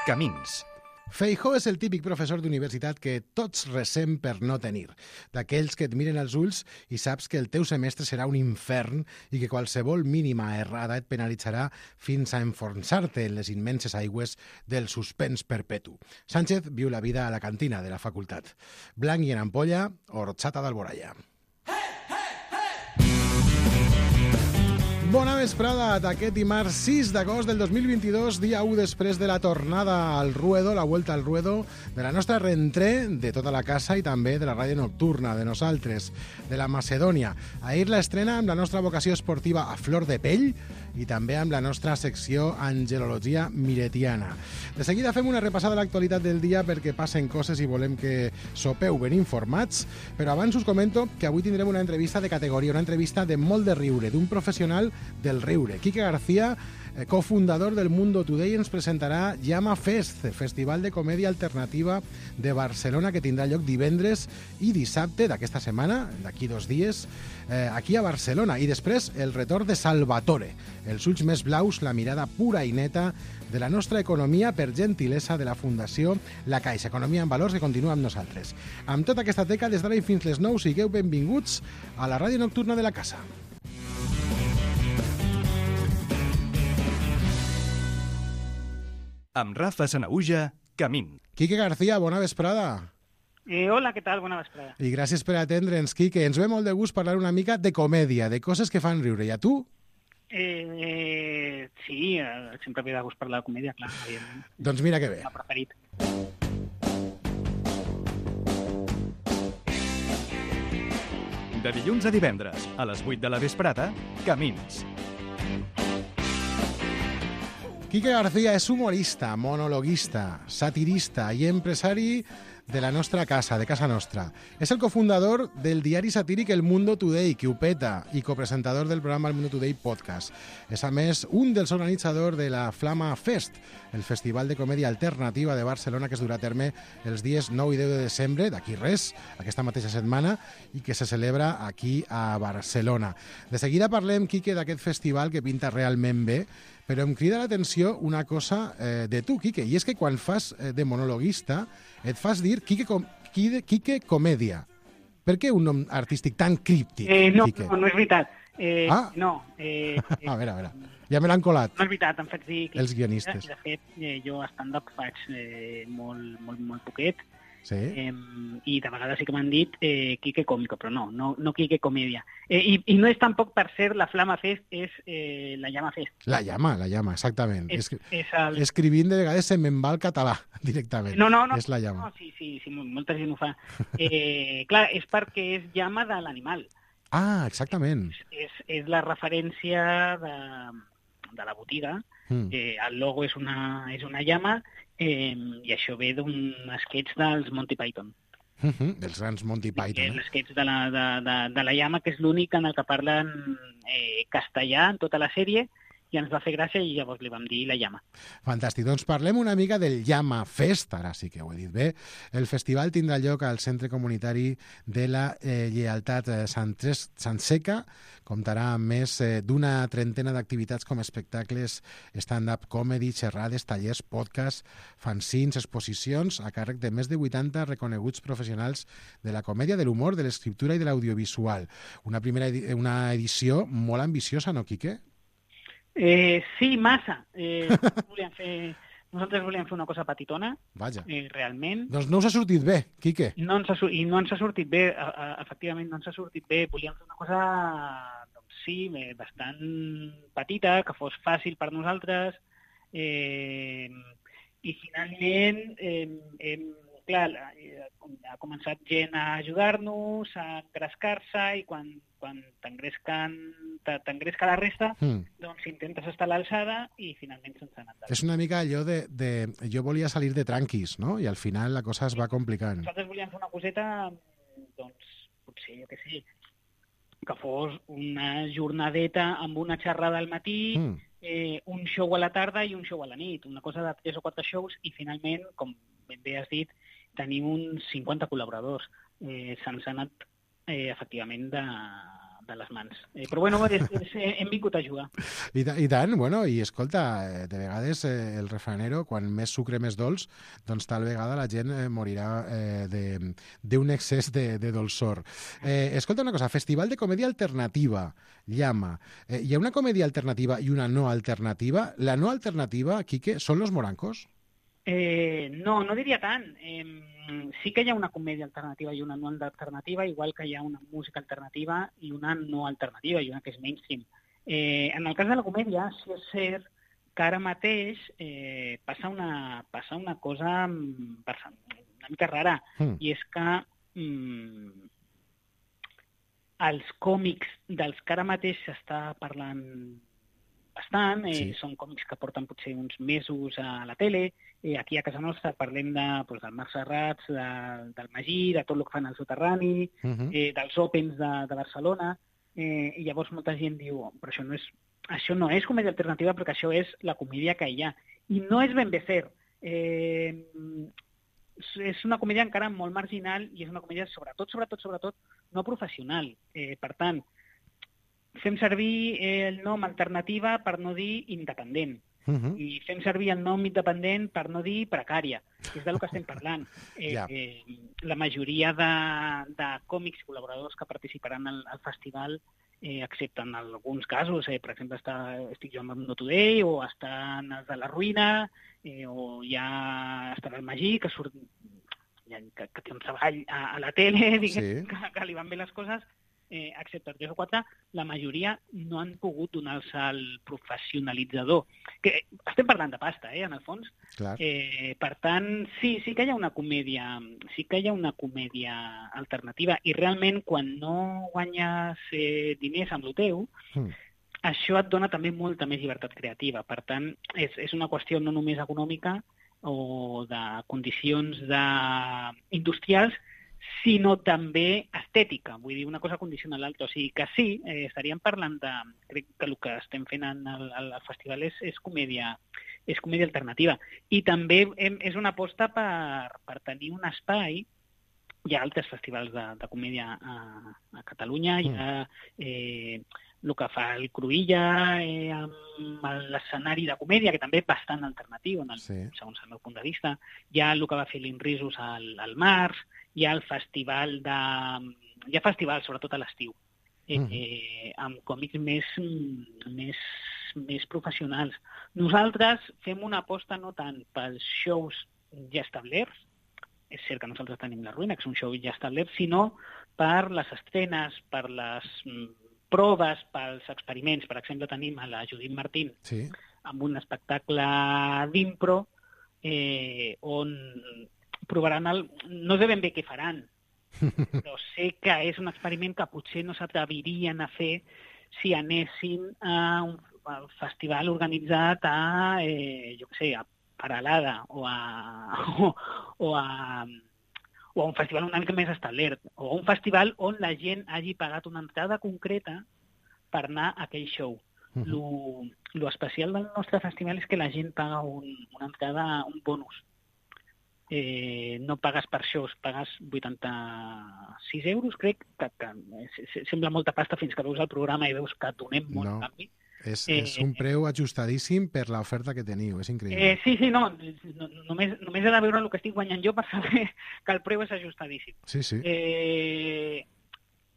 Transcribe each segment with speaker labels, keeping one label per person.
Speaker 1: Camins.
Speaker 2: Feijóo és el típic professor d'universitat que tots resem per no tenir. D'aquells que et miren als ulls i saps que el teu semestre serà un infern i que qualsevol mínima errada et penalitzarà fins a enfonsar-te en les immenses aigües del suspens perpetu. Sánchez viu la vida a la cantina de la facultat. Blanc i en ampolla, horchata d'Alboraya. Bona vesprada d'aquest dimarts 6 d'agost del 2022, dia 1 després de la tornada al ruedo, la vuelta al ruedo, de la nostra rentré de tota la casa i també de la ràdio nocturna, de nosaltres, de la Macedònia. Ahir l'estrena amb la nostra vocació esportiva a flor de pell i també amb la nostra secció Angelologia Miretiana. De seguida fem una repassada a l'actualitat del dia perquè passen coses i volem que sopeu ben informats, però abans us comento que avui tindrem una entrevista de categoria, una entrevista de molt de riure, d'un professional del riure. Quique García, cofundador del Mundo Today, ens presentarà Llama Fest, festival de comèdia alternativa de Barcelona que tindrà lloc divendres i dissabte d'aquesta setmana, d'aquí 2 dies, aquí a Barcelona. I després el retorn de Salvatore, els ulls més blaus, la mirada pura i neta de la nostra economia per gentilesa de la Fundació La Caixa. Economia en valors que continua amb nosaltres. Amb tota aquesta teca, des d'ara i fins les 9, sigueu benvinguts a la ràdio nocturna de la casa.
Speaker 1: Amb Rafa Sanahuja, Camins.
Speaker 2: Quique García, bona vesprada.
Speaker 3: Hola, què tal? Bona vesprada.
Speaker 2: I gràcies per atendre'ns, Quique. Ens ve molt de gust parlar una mica de comèdia, de coses que fan riure. I a tu?
Speaker 3: Sí, sempre ve de gust parlar de comèdia, clar.
Speaker 2: Doncs mira que bé.
Speaker 3: M'ha preferit.
Speaker 1: De dilluns a divendres, a les 8 de la vesprada, Camins.
Speaker 2: Quique García és humorista, monologuista, satirista i empresari de la nostra casa, de casa nostra. És el cofundador del diari satíric El Mundo Today, que ho peta, i copresentador del programa El Mundo Today Podcast. És, a més, un dels organitzadors de la Flama Fest, el festival de comèdia alternativa de Barcelona que es durà a terme els dies 9 i 10 de desembre, d'aquí res, aquesta mateixa setmana, i que se celebra aquí a Barcelona. De seguida parlem, Quique, d'aquest festival que pinta realment bé, però em crida l'atenció una cosa de tu, Quique, i és que quan fas de monologuista et fas dir Quique Comèdia. Per què un nom artístic tan críptic, Quique?
Speaker 3: No és veritat. No.
Speaker 2: A veure, ja me l'han colat.
Speaker 3: No és veritat, em faig dir
Speaker 2: els guionistes.
Speaker 3: De fet, jo a stand-up faig molt poquet.
Speaker 2: Sí.
Speaker 3: I de vegades sí que m'han dit Quique Còmico, però no Quique Comèdia. I no és tampoc, per ser, la Flama Fest, és la Llama Fest.
Speaker 2: La llama, exactament. Escrivint de vegades se me'n va el català, directament.
Speaker 3: No.
Speaker 2: És la llama.
Speaker 3: No, sí, molta gent ho fa. Clar, és perquè és llama de l'animal.
Speaker 2: Ah, exactament.
Speaker 3: És la referència de la botiga. El logo és una llama, i això ve d'un sketch dels Monty Python.
Speaker 2: Dels grans Monty Python.
Speaker 3: El sketch de la llama, que és l'únic en el que parlen castellà en tota la sèrie, i ens va fer gràcia i llavors li vam dir la llama.
Speaker 2: Fantàstic. Doncs parlem una mica del Llama Fest, ara sí que ho he dit bé. El festival tindrà lloc al Centre Comunitari de la Lleialtat Sant Seca. Comptarà amb més d'una trentena d'activitats com espectacles, stand-up comedy, xerrades, tallers, podcasts, fanzines, exposicions, a càrrec de més de 80 reconeguts professionals de la comèdia, de l'humor, de l'escriptura i de l'audiovisual. Una edició molt ambiciosa, no, Quique?
Speaker 3: Sí, massa. Nosaltres volíem fer una cosa petitona.
Speaker 2: Vaja.
Speaker 3: Realment.
Speaker 2: Doncs no us ha sortit bé, Quique.
Speaker 3: No ens ha sortit bé, efectivament no ens ha sortit bé. Volíem fer una cosa, doncs sí, bastant petita, que fos fàcil per nosaltres, i finalment clar, ha començat gent a ajudar-nos, a engrescar-se, i quan t'engresca la resta, doncs intentes estar a l'alçada i finalment se'ns ha anat.
Speaker 2: És una mica allò de jo volia salir de tranquis, no? I al final la cosa es va complicant.
Speaker 3: Nosaltres volíem fer una coseta, doncs, potser, jo què sé, que fos una jornadeta amb una xerrada al matí, un show a la tarda i un show a la nit, una cosa de 3 o 4 shows, i finalment, com ben bé has dit, tenim uns 50 col·laboradors. Se'ns ha anat, efectivament, de les mans. Però bueno, hem vingut a jugar.
Speaker 2: I tant, bueno, i escolta, de vegades el refranero, quan més sucre més dolç, doncs tal vegada la gent morirà d'un excés de dolçor. Escolta una cosa, Festival de Comèdia Alternativa, Llama. Hi ha una comèdia alternativa i una no alternativa. La no alternativa, Quique, són los morancos?
Speaker 3: No diria tant. Sí que hi ha una comèdia alternativa i una no alternativa, igual que hi ha una música alternativa i una no alternativa, i una que és mainstream. En el cas de la comèdia, sí és cert que ara mateix passa una cosa una mica rara, i és que els còmics dels que ara mateix s'està parlant bastant, són còmics que porten potser uns mesos a la tele. Aquí a casa nostra parlem del Marc Serrats, del Magí, de tot el que fan al soterrani, dels Opens de Barcelona, i llavors molta gent diu, però això no és comèdia alternativa, perquè això és la comèdia que hi ha. I no és ben bé cert. És una comèdia encara molt marginal i és una comèdia sobretot no professional. Per tant, fem servir el nom alternativa per no dir independent. I fem servir el nom independent per no dir precària, que és del que estem parlant. La majoria de còmics col·laboradors que participaran al festival, excepte en alguns casos, per exemple, estic jo amb No Today, o estan els de La Ruïna, o ja estarà el Magí, que surt que té un treball a la tele, diguem, que li van bé les coses, excepte 3 o 4, la majoria no han pogut donar-se al professionalitzador. Que estem parlant de pasta, en el fons. Per tant, sí que hi ha una comèdia, alternativa, i realment quan no guanyes diners amb el teu, això et dona també molta més llibertat creativa. Per tant, és una qüestió no només econòmica o de condicions industrials, sinó també estètica. Vull dir, una cosa condiciona l'altra. O sigui que sí, estaríem parlant crec que el que estem fent al festival és comèdia alternativa. I també és una aposta per tenir un espai. Hi ha altres festivals de comèdia a Catalunya, hi ha el que fa el Cruïlla amb l'escenari de comèdia, que també és bastant alternatiu, segons el meu punt de vista. Hi ha el que va fer l'Inrisos al març, hi ha el festival hi ha festivals, sobretot a l'estiu, amb còmics més professionals. Nosaltres fem una aposta no tant pels shows ja establerts, és cert que nosaltres tenim La Ruïna, que és un show ja establert, sinó per les estrenes, per les proves, pels experiments. Per exemple, tenim a la Judit Martín amb un espectacle d'impro on provaran no sé ben bé què faran, però sé que és un experiment que potser no s'atrevirien a fer si anessin a un festival organitzat jo què sé, a Peralada o a un festival una mica més establert, o a un festival on la gent hagi pagat una entrada concreta per anar a aquell show. Lo especial del nostre festival és que la gent paga una entrada, un bonus. No pagues per shows, pagues 86 euros, crec, que sembla molta pasta fins que veus el programa i veus que donem molt canvi.
Speaker 2: És un preu ajustadíssim per l'oferta que teniu, és increïble.
Speaker 3: Sí, no, només he de veure el que estic guanyant jo per saber que el preu és ajustadíssim.
Speaker 2: Sí.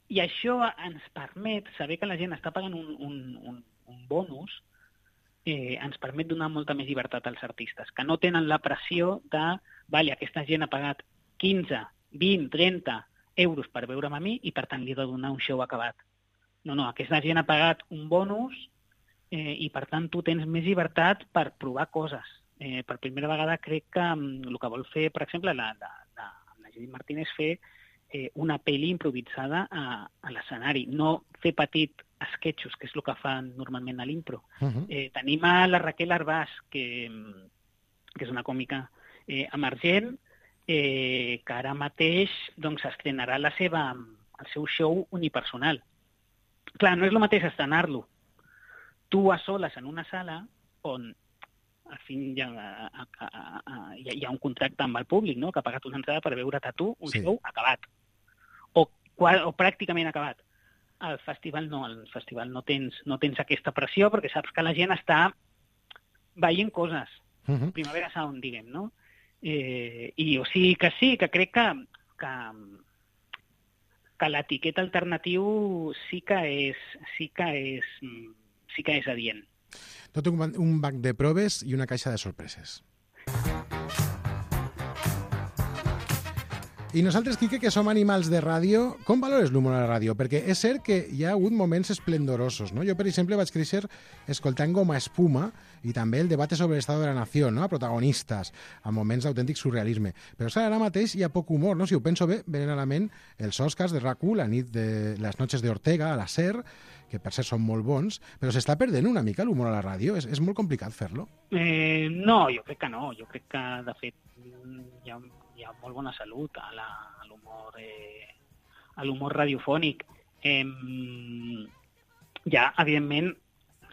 Speaker 3: I això ens permet saber que la gent està pagant un bonus, ens permet donar molta més llibertat als artistes, que no tenen la pressió de aquesta gent ha pagat 15, 20, 30 euros per veure'm a mi i per tant li he de donar un show acabat. No, aquesta gent ha pagat un bonus i per tant tu tens més llibertat per provar coses. Per primera vegada crec que el que vol fer, per exemple, la Judit Martín és fer una pel·li improvisada a l'escenari, no fer petit esquetxos, que és el que fan normalment a l'impro. Tenim a la Raquel Arbàs, que és una còmica emergent, que ara mateix estrenarà el seu show unipersonal. Clar, no és el mateix estrenar-lo tu a soles en una sala on al fin hi ha un contracte amb el públic, no?, que ha pagat una entrada per veure't a tu un show acabat, o pràcticament acabat. Al festival no tens aquesta pressió perquè saps que la gent està veient coses. Primavera Sound, diguem, no? I o sigui que sí, que crec que l'etiqueta alternatiu sí que és adient.
Speaker 2: Tot un banc de proves i una caixa de sorpreses. I nosaltres, Quique, que som animals de ràdio, com valores l'humor a la ràdio? Perquè és cert que hi ha hagut moments esplendorosos, no? Jo, per exemple, vaig créixer escoltant Goma Espuma i també el debat sobre l'estat de la nació, no? A protagonistes, a moments d'autèntic surrealisme. Però ara mateix hi ha poc humor, no? Si ho penso bé, venen a la ment els Oscars de RAC1, la nit de les noches de Ortega, a la SER, que per cert són molt bons, però s'està perdent una mica l'humor a la ràdio? És molt complicat fer-lo?
Speaker 3: No, jo crec que no. Jo crec que, de fet, hi ha molt bona salut a l'humor radiofònic. Ja, evidentment,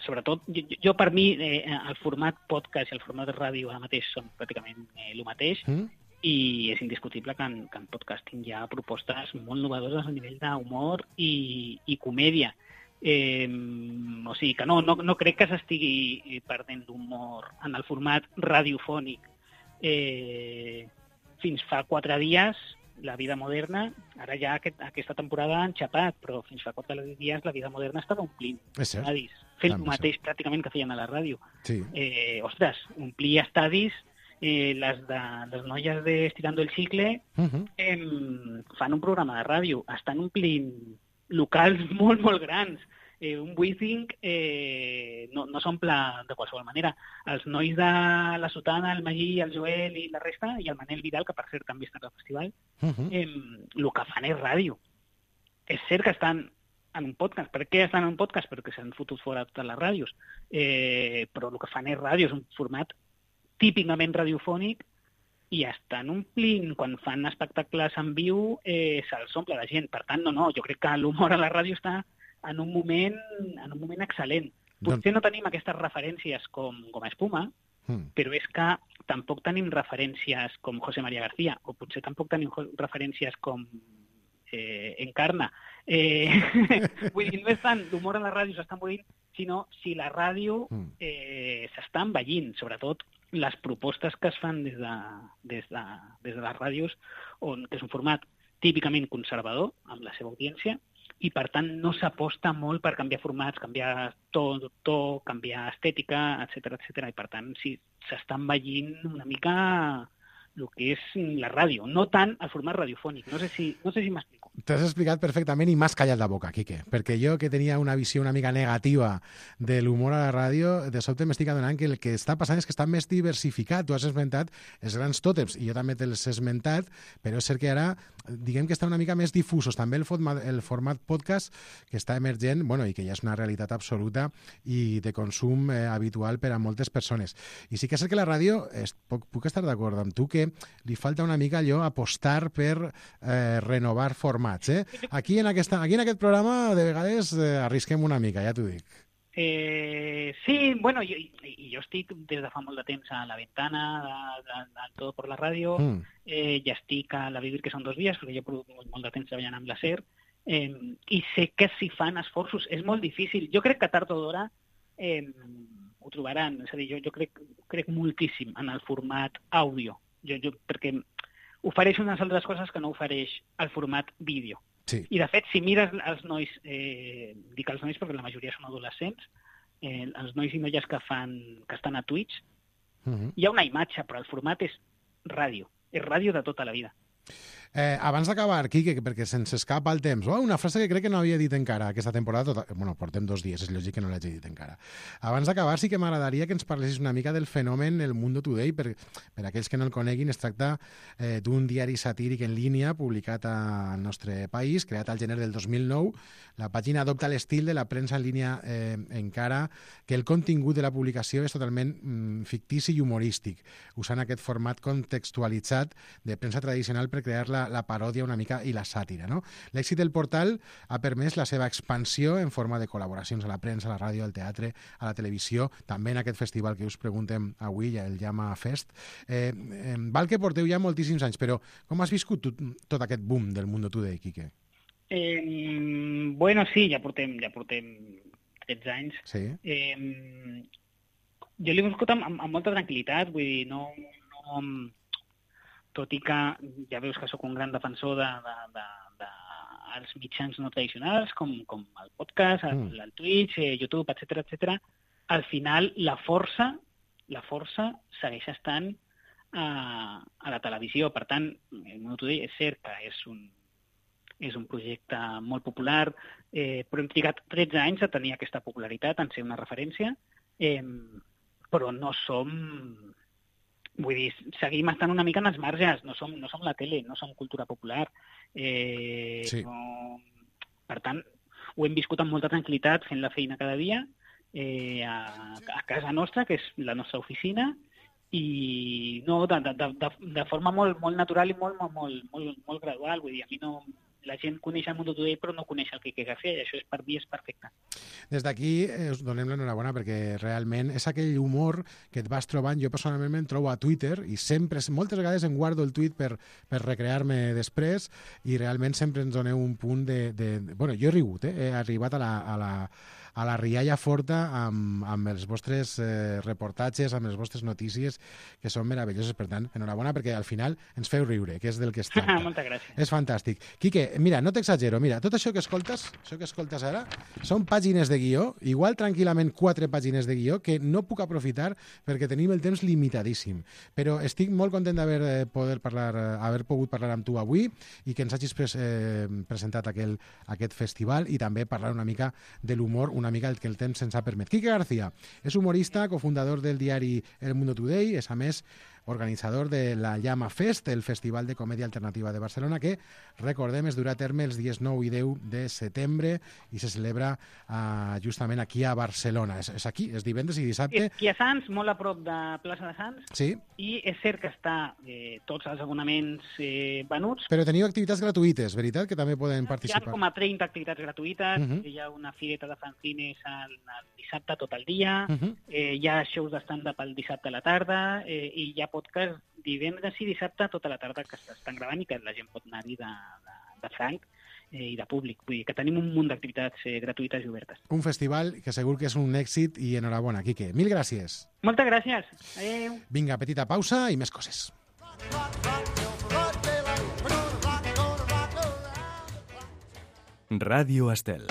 Speaker 3: sobretot, jo per mi, el format podcast i el format de ràdio ara mateix són pràcticament el mateix, i és indiscutible que en podcasting hi ha propostes molt novedoses a nivell d'humor i comèdia. O sigui que no crec que s'estigui perdent l'humor en el format radiofònic. Fins fa 4 dies, La Vida Moderna, ara ja aquesta temporada han xapat, però fins fa 4 dies La Vida Moderna estava omplint estadis, fent el mateix pràcticament que feien a la ràdio.
Speaker 2: Sí.
Speaker 3: Ostres, omplir estadis, les noies de Estirando el Chicle fan un programa de ràdio, estan omplint locals molt, molt grans. Un Wizzing no s'omple de qualsevol manera. Els nois de la Sotana, el Magí, el Joel i la resta, i el Manel Vidal, que per cert també està al festival, el que fan és ràdio. És cert que estan en un podcast. Per què estan en un podcast? Perquè s'han fotut fora totes les ràdios. Però el que fan és ràdio, és un format típicament radiofònic i estan omplint, quan fan espectacles en viu, se'ls omple la gent. Per tant, jo crec que l'humor a la ràdio està en un moment excel·lent. Potser no tenim aquestes referències com Espuma, però és que tampoc tenim referències com José María García, o potser tampoc tenim referències com Encarna. Vull dir, no és tant l'humor a la ràdio s'està morint, sinó si la ràdio s'està envellint, sobretot les propostes que es fan des de les ràdios, que és un format típicament conservador amb la seva audiència, i per tant no s'aposta molt per canviar formats, canviar to, canviar estètica, etc. I per tant sí, s'està envellint una mica el que és la ràdio, no tant el format radiofònic. No sé si m'explico.
Speaker 2: T'has explicat perfectament i m'has callat la boca, Quique, perquè jo, que tenia una visió una mica negativa de l'humor a la ràdio, de sobte m'estic adonant que el que està passant és que està més diversificat. Tu has esmentat els grans tòtems, i jo també te'ls he esmentat, però és cert que ara, diguem que està una mica més difusos. També el format podcast, que està emergent, i que ja és una realitat absoluta i de consum habitual per a moltes persones. I sí que és cert que la ràdio, puc estar d'acord amb tu, que li falta una mica allò apostar per renovar formats. Aquí en aquest programa de vegades arrisquem una mica, ja t'ho dic.
Speaker 3: Sí, jo estic des de fa molt de temps a La Ventana, del Todo por la Ràdio, ja estic a La Vivir, que són 2 dies, perquè jo he produït molt de temps treballant amb la SER, i sé que s'hi fan esforços. És molt difícil. Jo crec que tard o d'hora ho trobaran. És a dir, jo crec moltíssim en el format àudio, perquè ofereix unes altres coses que no ofereix el format vídeo.
Speaker 2: Sí.
Speaker 3: I, de fet, si mires els nois, dic els nois perquè la majoria són adolescents, els nois i noies que estan a Twitch, hi ha una imatge, però el format és ràdio de tota la vida.
Speaker 2: Abans d'acabar, Quique, perquè se'ns escapa el temps, una frase que crec que no havia dit encara aquesta temporada, portem 2 dies, és lògic que no l'hagi dit encara. Abans d'acabar, sí que m'agradaria que ens parlessis una mica del fenomen El Mundo Today, per aquells que no el coneguin, es tracta d'un diari satíric en línia publicat al nostre país, creat al gener del 2009. La pàgina adopta l'estil de la premsa en línia, encara que el contingut de la publicació és totalment fictici i humorístic, usant aquest format contextualitzat de premsa tradicional per crear la paròdia una mica i la sàtira, no? L'èxit del portal ha permès la seva expansió en forma de col·laboracions a la premsa, a la ràdio, al teatre, a la televisió, també en aquest festival que us preguntem avui, el Llama Fest. Val que porteu ja moltíssims anys, però com has viscut tot aquest boom del Mundo Today, Quique?
Speaker 3: Bueno, sí, ja portem 13 anys.
Speaker 2: Sí.
Speaker 3: Jo l'he viscut amb molta tranquil·litat, vull dir, no, tot i que ja veus que sóc un gran defensor dels mitjans no tradicionals, com el podcast, el Twitch, YouTube, etc. Al final, la força segueix estant a la televisió. Per tant, el Mundo Today és cert que és un projecte molt popular, però hem trigat 13 anys a tenir aquesta popularitat, en ser una referència, però no som... Vull dir, seguim estant una mica en els marges, no som la tele, no som cultura popular.
Speaker 2: Sí.
Speaker 3: No... Per tant, ho hem viscut amb molta tranquil·litat, fent la feina cada dia, a casa nostra, que és la nostra oficina, i no, de forma molt natural i molt gradual. Vull dir, a mi no... La gent coneix el Mundo Today, però no coneix el Quique García, i això per mi és perfecte.
Speaker 2: Des d'aquí us donem l'enhorabona, perquè realment és aquell humor que et vas trobant. Jo personalment me'n trobo a Twitter i sempre, moltes vegades em guardo el tuit per recrear-me després, i realment sempre ens doneu un punt de... Bueno, jo he rigut, he arribat a la rialla forta amb els vostres reportatges, amb les vostres notícies, que són meravelloses. Per tant, enhorabona, perquè al final ens feu riure, que és del que es tracta.
Speaker 3: Moltes gràcies.
Speaker 2: És fantàstic. Quique, mira, no t'exagero, mira, tot això que escoltes ara, són pàgines de guió, igual tranquil·lament 4 pàgines de guió, que no puc aprofitar perquè tenim el temps limitadíssim. Però estic molt content d'haver pogut parlar amb tu avui i que ens hagis presentat aquest festival, i també parlar una mica de l'humor, una mica el que el temps ens ha permès. Quique García és humorista, cofundador del diari El Mundo Today, és a més organitzador de la Llama Fest, el Festival de Comèdia Alternativa de Barcelona, que, recordem, es durà a terme els dies 9 i 10 de setembre i se celebra justament aquí a Barcelona. És aquí, és divendres i dissabte.
Speaker 3: És aquí a Sants, molt a prop de Plaça de Sants.
Speaker 2: Sí.
Speaker 3: I és cert que està tots els abonaments venuts.
Speaker 2: Però teniu activitats gratuïtes, veritat? Que també poden participar.
Speaker 3: Hi ha com a 30 activitats gratuïtes. Hi ha una fireta de fanzines el dissabte tot el dia. Hi ha shows de stand-up el dissabte a la tarda. I hi ha podcast divendres i dissabte tota la tarda, que s'estan gravant i que la gent pot anar-hi de franc i de públic. Vull dir que tenim un munt d'activitats gratuïtes i obertes.
Speaker 2: Un festival que segur que és un èxit, i enhorabona, Quique. Mil gràcies.
Speaker 3: Moltes gràcies. Adéu.
Speaker 2: Vinga, petita pausa i més coses.
Speaker 1: Ràdio Estel.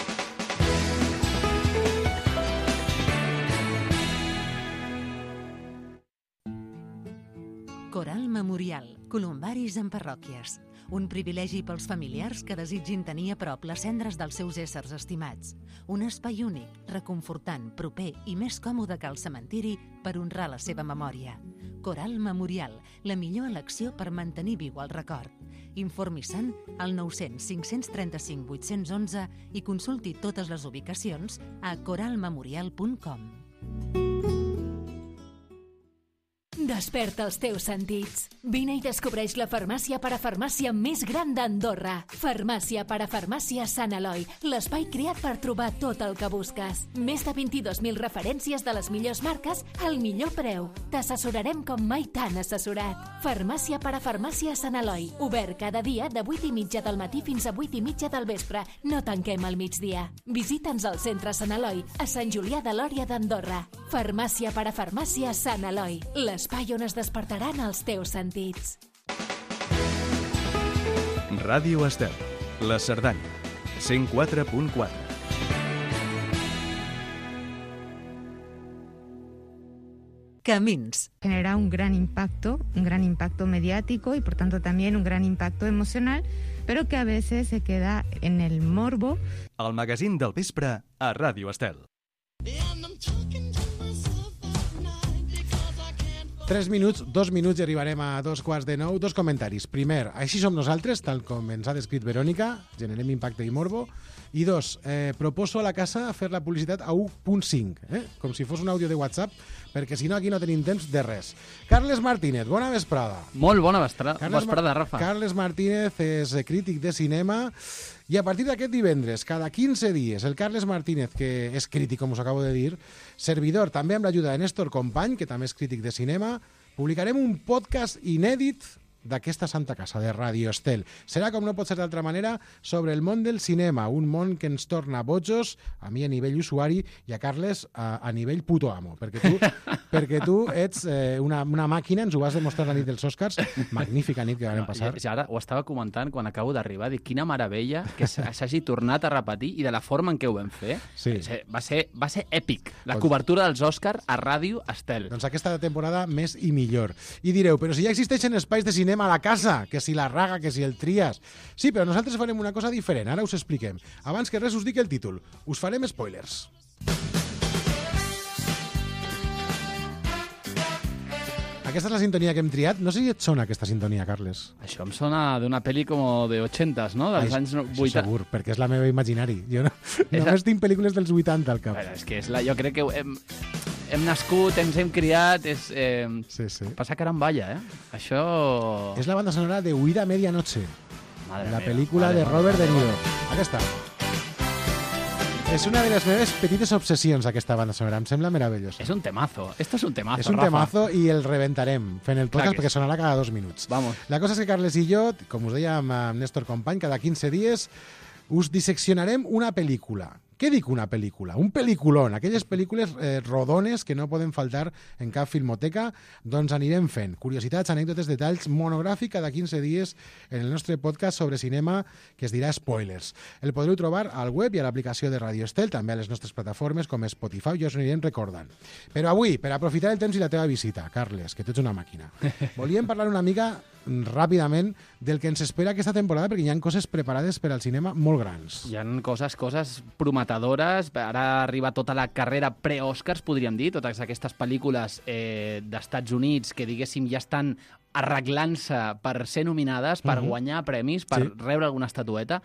Speaker 4: Coral Memorial, columbaris en parròquies. Un privilegi pels familiars que desitgin tenir a prop les cendres dels seus éssers estimats. Un espai únic, reconfortant, proper i més còmode que el cementiri per honrar la seva memòria. Coral Memorial, la millor elecció per mantenir viu el record. Informi-se'n al 900 535 811 i consulti totes les ubicacions a coralmemorial.com.
Speaker 5: Desperta els teus sentits. Vine i descobreix la farmàcia parafarmàcia més gran d'Andorra. Farmàcia parafarmàcia Sant Eloi, l'espai creat per trobar tot el que busques. Més de 22.000 referències de les millors marques al millor preu. T'assessorarem com mai t'han assessorat. Farmàcia parafarmàcia Sant Eloi, obert cada dia de 8:30 del matí fins a 8:30 del vespre. No tanquem al migdia. Visita'ns al centre Sant Eloi, a Sant Julià de Lòria d'Andorra. Farmàcia parafarmàcia Sant Eloi, l'espai on es despertaran els teus sentits.
Speaker 1: Ràdio Estel, la Cerdanya, 104.4.
Speaker 4: Camins.
Speaker 6: Genera un gran impacto mediático y por tanto también un gran impacto emocional, pero que a veces se queda en el morbo.
Speaker 1: El magazín del vespre a Ràdio Estel.
Speaker 2: 3 minuts, 2 minuts i arribarem a 2:15. 2 comentaris. Primer, així som nosaltres, tal com ens ha descrit Verònica, generem impacte i morbo. I 2, proposo a la casa fer la publicitat a 1.5, com si fos un àudio de WhatsApp, perquè si no aquí no tenim temps de res. Carles Martínez, bona vesprada.
Speaker 7: Molt bona vesprada, Rafa.
Speaker 2: Carles Martínez és crític de cinema i a partir d'aquest divendres, cada 15 dies, el Carles Martínez, que és crític, com us acabo de dir, servidor, també amb l'ajuda de Néstor Company, que també és crític de cinema, publicarem un podcast inèdit d'aquesta santa casa, de Radio Estel. Serà, com no pot ser d'altra manera, sobre el món del cinema, un món que ens torna bojos, a mi a nivell usuari i a Carles a nivell puto amo, perquè tu ets una màquina, ens ho vas demostrar la nit dels Oscars, magnífica nit que vam passar.
Speaker 7: Ja ara ho estava comentant quan acabo d'arribar, dic, quina meravella que s'hagi tornat a repetir i de la forma en què ho vam fer.
Speaker 2: Sí.
Speaker 7: Va ser èpic, la cobertura dels Oscars a Ràdio Estel.
Speaker 2: Doncs aquesta temporada més i millor. I direu, però si ja existeixen espais de cinema a la casa, que si la Raga, que si el Trias... Sí, però nosaltres farem una cosa diferent, ara us expliquem. Abans que res us dic el títol. Us farem spoilers. Aquesta és la sintonia que hem triat. No sé si et sona aquesta sintonia, Carles.
Speaker 7: Això em sona d'una pel·li com de 80s, no? Dels anys 80.
Speaker 2: Això segur, perquè és la meva imaginari. Jo només tinc pel·lícules dels 80 al cap.
Speaker 7: Bueno, és que jo crec que hem nascut, ens hem criat,
Speaker 2: Sí.
Speaker 7: passa caramballa, Això...
Speaker 2: És la banda sonora de Huida a Medianoche,
Speaker 7: Madre
Speaker 2: la
Speaker 7: meva.
Speaker 2: pel·lícula de Robert De Niro. Aquesta. És una de les meves petites obsessions, aquesta banda sonora. Em sembla meravellosa.
Speaker 7: És un temazo. Esto es un temazo,
Speaker 2: És un
Speaker 7: Rafa.
Speaker 2: temazo i el rebentarem fent el podcast
Speaker 7: que
Speaker 2: perquè
Speaker 7: sí.
Speaker 2: sonarà cada 2 minuts.
Speaker 7: Vamos.
Speaker 2: La cosa és que Carles i jo, com us deia amb Néstor Company, cada 15 dies us disseccionarem una pel·lícula. Què dic una pel·lícula? Un pel·lículon, aquelles pel·lícules rodones que no poden faltar en cap filmoteca, doncs anirem fent curiositats, anècdotes, detalls, monogràfic cada 15 dies en el nostre podcast sobre cinema que es dirà Spoilers. El podreu trobar al web i a l'aplicació de Radio Estel, també a les nostres plataformes com Spotify, ja us anirem recordant. Però avui, per aprofitar el temps i la teva visita, Carles, que tu ets una màquina, volíem parlar una mica ràpidament del que ens espera aquesta temporada, perquè hi ha coses preparades per al cinema molt grans.
Speaker 7: Hi ha coses prometedores. Ara arriba tota la carrera pre-Oscars, podríem dir, totes aquestes pel·lícules d'Estats Units que, diguéssim, ja estan arreglant-se per ser nominades, per guanyar premis, per rebre alguna estatueta.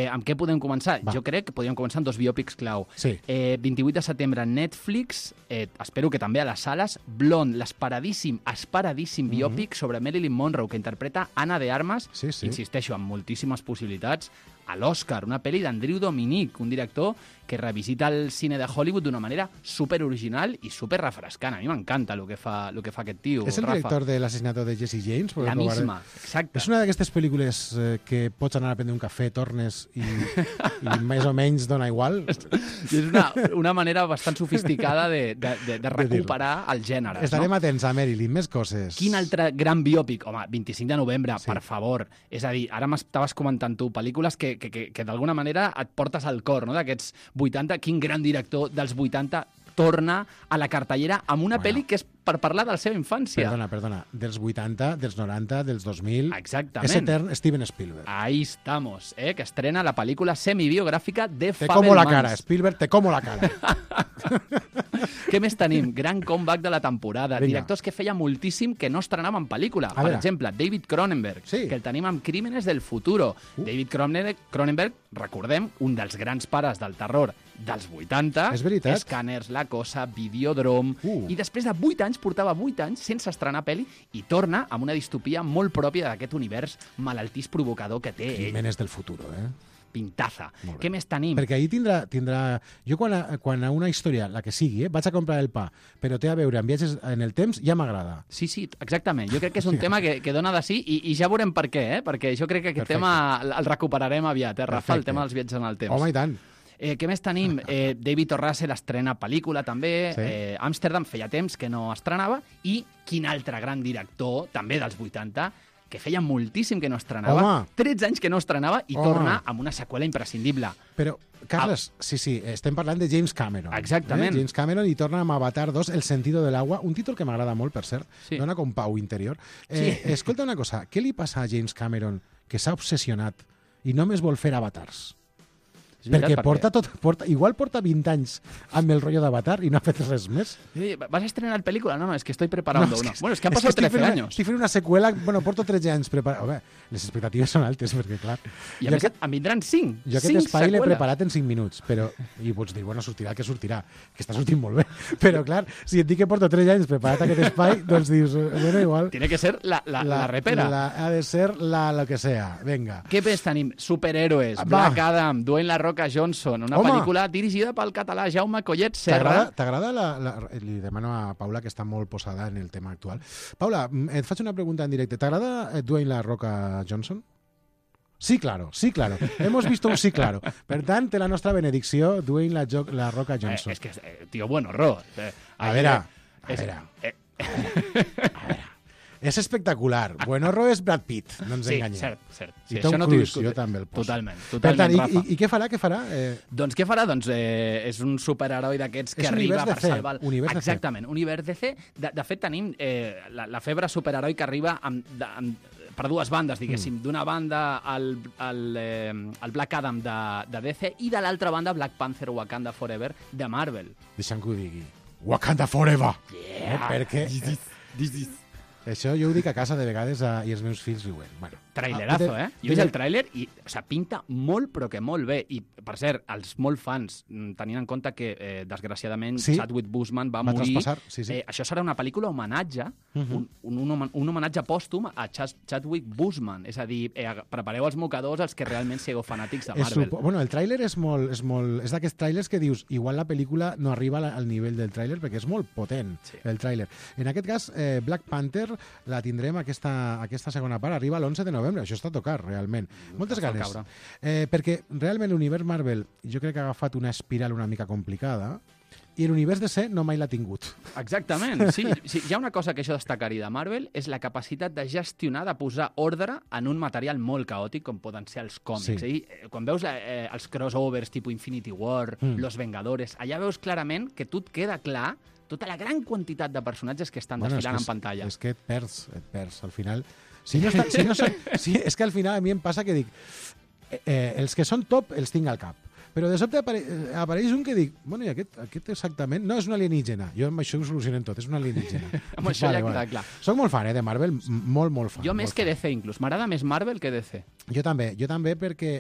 Speaker 7: Amb què podem començar? Jo crec que podríem començar amb 2 biòpics clau. 28 de setembre, Netflix, espero que també a les sales, Blonde, l'esperadíssim biòpic sobre Marilyn Monroe, que interpreta Anna de Armas, insisteixo, amb moltíssimes possibilitats, a l'Oscar, una pel·li d'Andrew Dominic, un director que revisita el cine de Hollywood d'una manera super original i super refrescant. A mi m'encanta el que fa aquest tio,
Speaker 2: És el
Speaker 7: Rafa.
Speaker 2: director de l'assassinato de Jesse James?
Speaker 7: La misma, exacte.
Speaker 2: És una d'aquestes pel·lícules que pots anar a prendre un cafè, tornes i més o menys dona igual?
Speaker 7: És una manera bastant sofisticada de recuperar el gènere.
Speaker 2: Estarem atents a Marilyn, més coses.
Speaker 7: Quin altre gran biòpic? Home, 25 de novembre, per favor. És a dir, ara m'estaves comentant tu pel·lícules que d'alguna manera et portes al cor, no?, d'aquests 80. Quin gran director dels 80 torna a la cartellera amb una pel·li que és per parlar de la seva infància.
Speaker 2: Perdona. Dels 80, dels 90, dels 2000...
Speaker 7: Exactament.
Speaker 2: És etern Steven Spielberg.
Speaker 7: Ahí estamos, que estrena la pel·lícula semibiogràfica de
Speaker 2: Te
Speaker 7: Fabelmans.
Speaker 2: como la cara, Spielberg, te como la cara.
Speaker 7: Què més tenim? Gran comeback de la temporada.
Speaker 2: Vinga.
Speaker 7: Directors que feia moltíssim que no estrenaven pel·lícula. Per exemple, David Cronenberg, que el tenim amb Crímenes del futuro. David Cronenberg, recordem, un dels grans pares del terror dels 80.
Speaker 2: És veritat.
Speaker 7: Scanners, La Cosa, Videodrome. I després de 8 anys, portava 8 anys sense estrenar pel·li i torna amb una distopia molt pròpia d'aquest univers malaltís provocador que té ell.
Speaker 2: Crímenes del futuro,
Speaker 7: Pintaza. Què més tenim?
Speaker 2: Perquè ahir tindrà... Jo quan a una història, la que sigui, vaig a comprar el pa, però té a veure amb viatges en el temps, ja m'agrada.
Speaker 7: Sí, exactament. Jo crec que és un tema que dona de sí i ja veurem per què, perquè jo crec que aquest tema el recuperarem aviat, Rafa, el tema dels viatges en el temps.
Speaker 2: Home, i tant.
Speaker 7: Què més tenim? David O. Russell estrena pel·lícula també, Amsterdam feia temps que no estrenava, i quin altre gran director, també dels 80, que feia moltíssim que no estrenava, 13 anys que no estrenava, i torna amb una seqüela imprescindible.
Speaker 2: Però, Carles, sí, estem parlant de James Cameron.
Speaker 7: Exactament.
Speaker 2: James Cameron, i torna amb Avatar 2, El sentido del agua, un títol que m'agrada molt, per cert, dona com pau interior. Escolta una cosa, què li passa a James Cameron, que s'ha obsessionat i només vol fer avatars? Perquè igual porta 20 anys amb el rotllo d'Avatar i no ha fet res més.
Speaker 7: ¿Vas a estrenar película? No, es que estoy preparando una. Bueno, es que han pasado 13 años.
Speaker 2: Estic fent una seqüela, bueno, porto 13 anys preparant. Les expectatives són altes, perquè clar...
Speaker 7: I a més, en vindran 5.
Speaker 2: Jo aquest espai l'he preparat en 5 minuts, però... I pots dir, bueno, sortirà el que sortirà, que està sortint molt bé. Però clar, si et dic que porto 3 anys preparat aquest espai, doncs dius, bueno, igual...
Speaker 7: Tiene que ser la repera.
Speaker 2: Ha de ser lo que sea, venga.
Speaker 7: Què més tenim? Superhéroes, Black Adam, Dwayne La Roca Roca Johnson, una
Speaker 2: Home!
Speaker 7: pel·lícula dirigida pel català Jaume Collet Serra.
Speaker 2: T'agrada li demano a Paula, que està molt posada en el tema actual. Paula, et faig una pregunta en directe. ¿T'agrada Dwayne La Roca Johnson? Sí, claro, sí, claro. Hemos visto un sí, claro. Per tant, té la nostra benedicció Dwayne La Roca Johnson.
Speaker 7: És que, tio, buen horror.
Speaker 2: A veure. És espectacular. Buen horror és Brad Pitt, no ens enganyem.
Speaker 7: Sí, cert.
Speaker 2: I Tom Cruise, jo també el poso.
Speaker 7: Totalment,
Speaker 2: Per tant,
Speaker 7: Rafa.
Speaker 2: I què farà?
Speaker 7: Doncs què farà? Doncs és un superheroi d'aquests que arriba per salvar... Exactament, univers DC. De fet, tenim la febre superheroi que arriba per dues bandes, diguéssim. D'una banda, el Black Adam de DC i de l'altra banda, Black Panther Wakanda Forever de Marvel.
Speaker 2: Deixa'm que ho digui. Wakanda Forever!
Speaker 7: Yeah!
Speaker 2: Perquè... Això jo ho dic a casa de vegades i els meus fills riuen. Bueno,
Speaker 7: trailerazo, Jo he vist el tràiler i pinta molt, però que molt bé. I, per cert, els molt fans, tenint en compte que, desgraciadament, Chadwick Boseman va morir... Això serà una pel·lícula homenatge, un homenatge pòstum a Chadwick Boseman. És a dir, prepareu els mocadors els que realment sigueu fanàtics de Marvel.
Speaker 2: Bueno, el tràiler és d'aquests tràilers que dius, igual la pel·lícula no arriba al nivell del tràiler, perquè és molt potent, el tràiler. En aquest cas, Black Panther la tindrem aquesta segona part, arriba l'11 de novembre, això està a tocar, realment. Moltes ganes. Perquè realment l'univers Marvel jo crec que ha agafat una espiral una mica complicada i l'univers DC no mai l'ha tingut.
Speaker 7: Exactament, sí. Hi ha una cosa que això destacaria de Marvel, és la capacitat de gestionar, de posar ordre en un material molt caòtic com poden ser els còmics. Quan veus els crossovers tipus Infinity War, Los Vengadores, allà veus clarament que tu et queda clar tota la gran quantitat de personatges que estan desfilant en pantalla.
Speaker 2: És que et perds. Al final... és que al final a mi em passa que dic els que són top els tinc al cap. Però de sobte apareix un que dic, bueno, i aquest exactament... No, és un alienígena. Jo amb això ho solucionem tot, és un alienígena.
Speaker 7: Amb això ja queda clar.
Speaker 2: Soc molt fan, de Marvel, molt fan.
Speaker 7: Jo més que DC, inclús. M'agrada més Marvel que DC.
Speaker 2: Jo també perquè,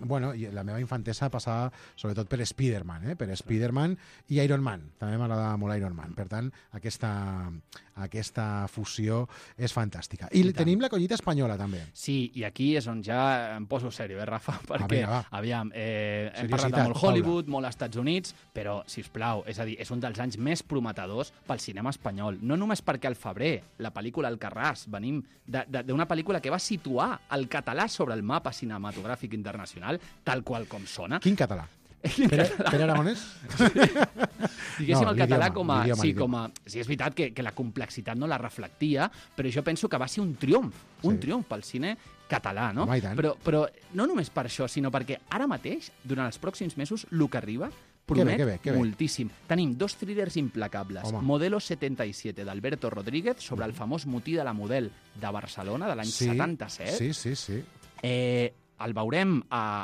Speaker 2: la meva infantesa passava sobretot per Spider-Man, per Spider-Man i Iron Man. També m'agrada molt Iron Man. Per tant, aquesta fusió és fantàstica. I tenim la collita espanyola, també.
Speaker 7: Sí, i aquí és on ja em poso sèrio, Rafa? Perquè, aviam, hem parlat de molt Hollywood, molt Estats Units, però, sisplau, és a dir, és un dels anys més prometedors pel cinema espanyol. No només perquè al febrer, la pel·lícula Alcarràs, venim d'una pel·lícula que va situar el català sobre el mapa cinematogràfic internacional, tal qual com sona.
Speaker 2: Quin català? Per Aragonès?
Speaker 7: Diguéssim, el català com a... Sí, és veritat que la complexitat no la reflectia, però jo penso que va ser un triomf pel cine català, no? Però no només per això, sinó perquè ara mateix, durant els pròxims mesos, el que arriba promet moltíssim. Tenim 2 thrillers implacables. Modelo 77, d'Alberto Rodríguez, sobre el famós motí de la Model de Barcelona, de l'any 77.
Speaker 2: Sí.
Speaker 7: El veurem,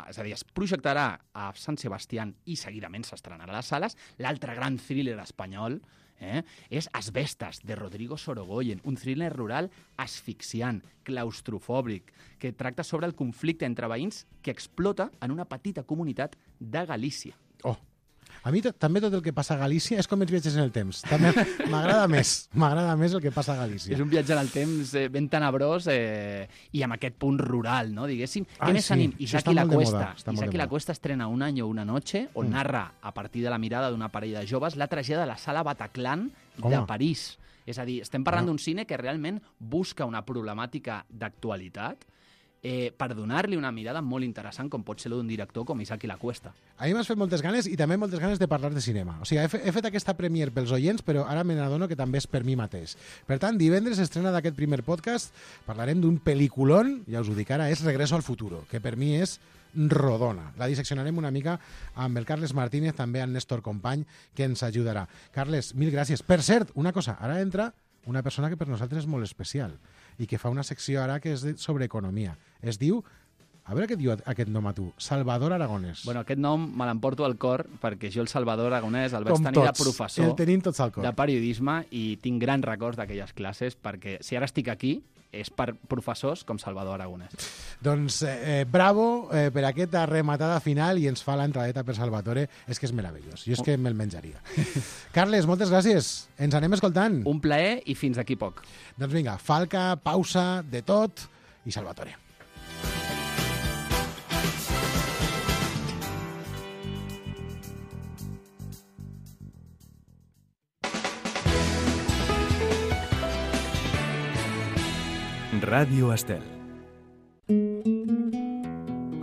Speaker 7: és a dir, es projectarà a Sant Sebastián i seguidament s'estrenarà a les sales. L'altre gran thriller espanyol és Asbestas, de Rodrigo Sorogoyen, un thriller rural asfixiant, claustrofòbic, que tracta sobre el conflicte entre veïns que explota en una petita comunitat de Galícia.
Speaker 2: A mi també tot el que passa a Galícia és com els viatges en el temps. També m'agrada més el que passa a Galícia.
Speaker 7: És un viatge en el temps ben tenebrós i amb aquest punt rural, no? Diguéssim. Què més tenim? Isaac i la Cuesta estrena Un año, una noche, on narra, a partir de la mirada d'una parella de joves, la tragèdia de la sala Bataclan de París. És a dir, estem parlant d'un cine que realment busca una problemàtica d'actualitat per donar-li una mirada molt interessant com pot ser d'un director com Isaac i la Cuesta.
Speaker 2: A mi m'has fet moltes ganes i també moltes ganes de parlar de cinema. O sigui, he fet aquesta premier pels oients, però ara me n'adono que també és per mi mateix. Per tant, divendres estrena d'aquest primer podcast, parlarem d'un pel·lículon, ja us ho dic ara, és Regreso al futuro, que per mi és rodona. La disseccionarem una mica amb el Carles Martínez, també amb Néstor Company, que ens ajudarà. Carles, mil gràcies. Per cert, una cosa, ara entra una persona que per nosaltres és molt especial i que fa una secció ara que és sobre economia. Es diu, a veure què diu aquest nom a tu, Salvador Aragonès.
Speaker 7: Bueno, aquest nom me l'emporto al cor perquè jo el Salvador Aragonès el vaig tenir de professor de periodisme i tinc grans records d'aquelles classes perquè si ara estic aquí és per professors com Salvador Aragonès.
Speaker 2: Doncs bravo per aquesta rematada final i ens fa l'entradeta per Salvatore. És que és meravellós. Jo és que me'l menjaria. Carles, moltes gràcies. Ens anem escoltant.
Speaker 7: Un plaer i fins d'aquí poc.
Speaker 2: Doncs vinga, falca, pausa, de tot i Salvatore.
Speaker 1: Ràdio Estel.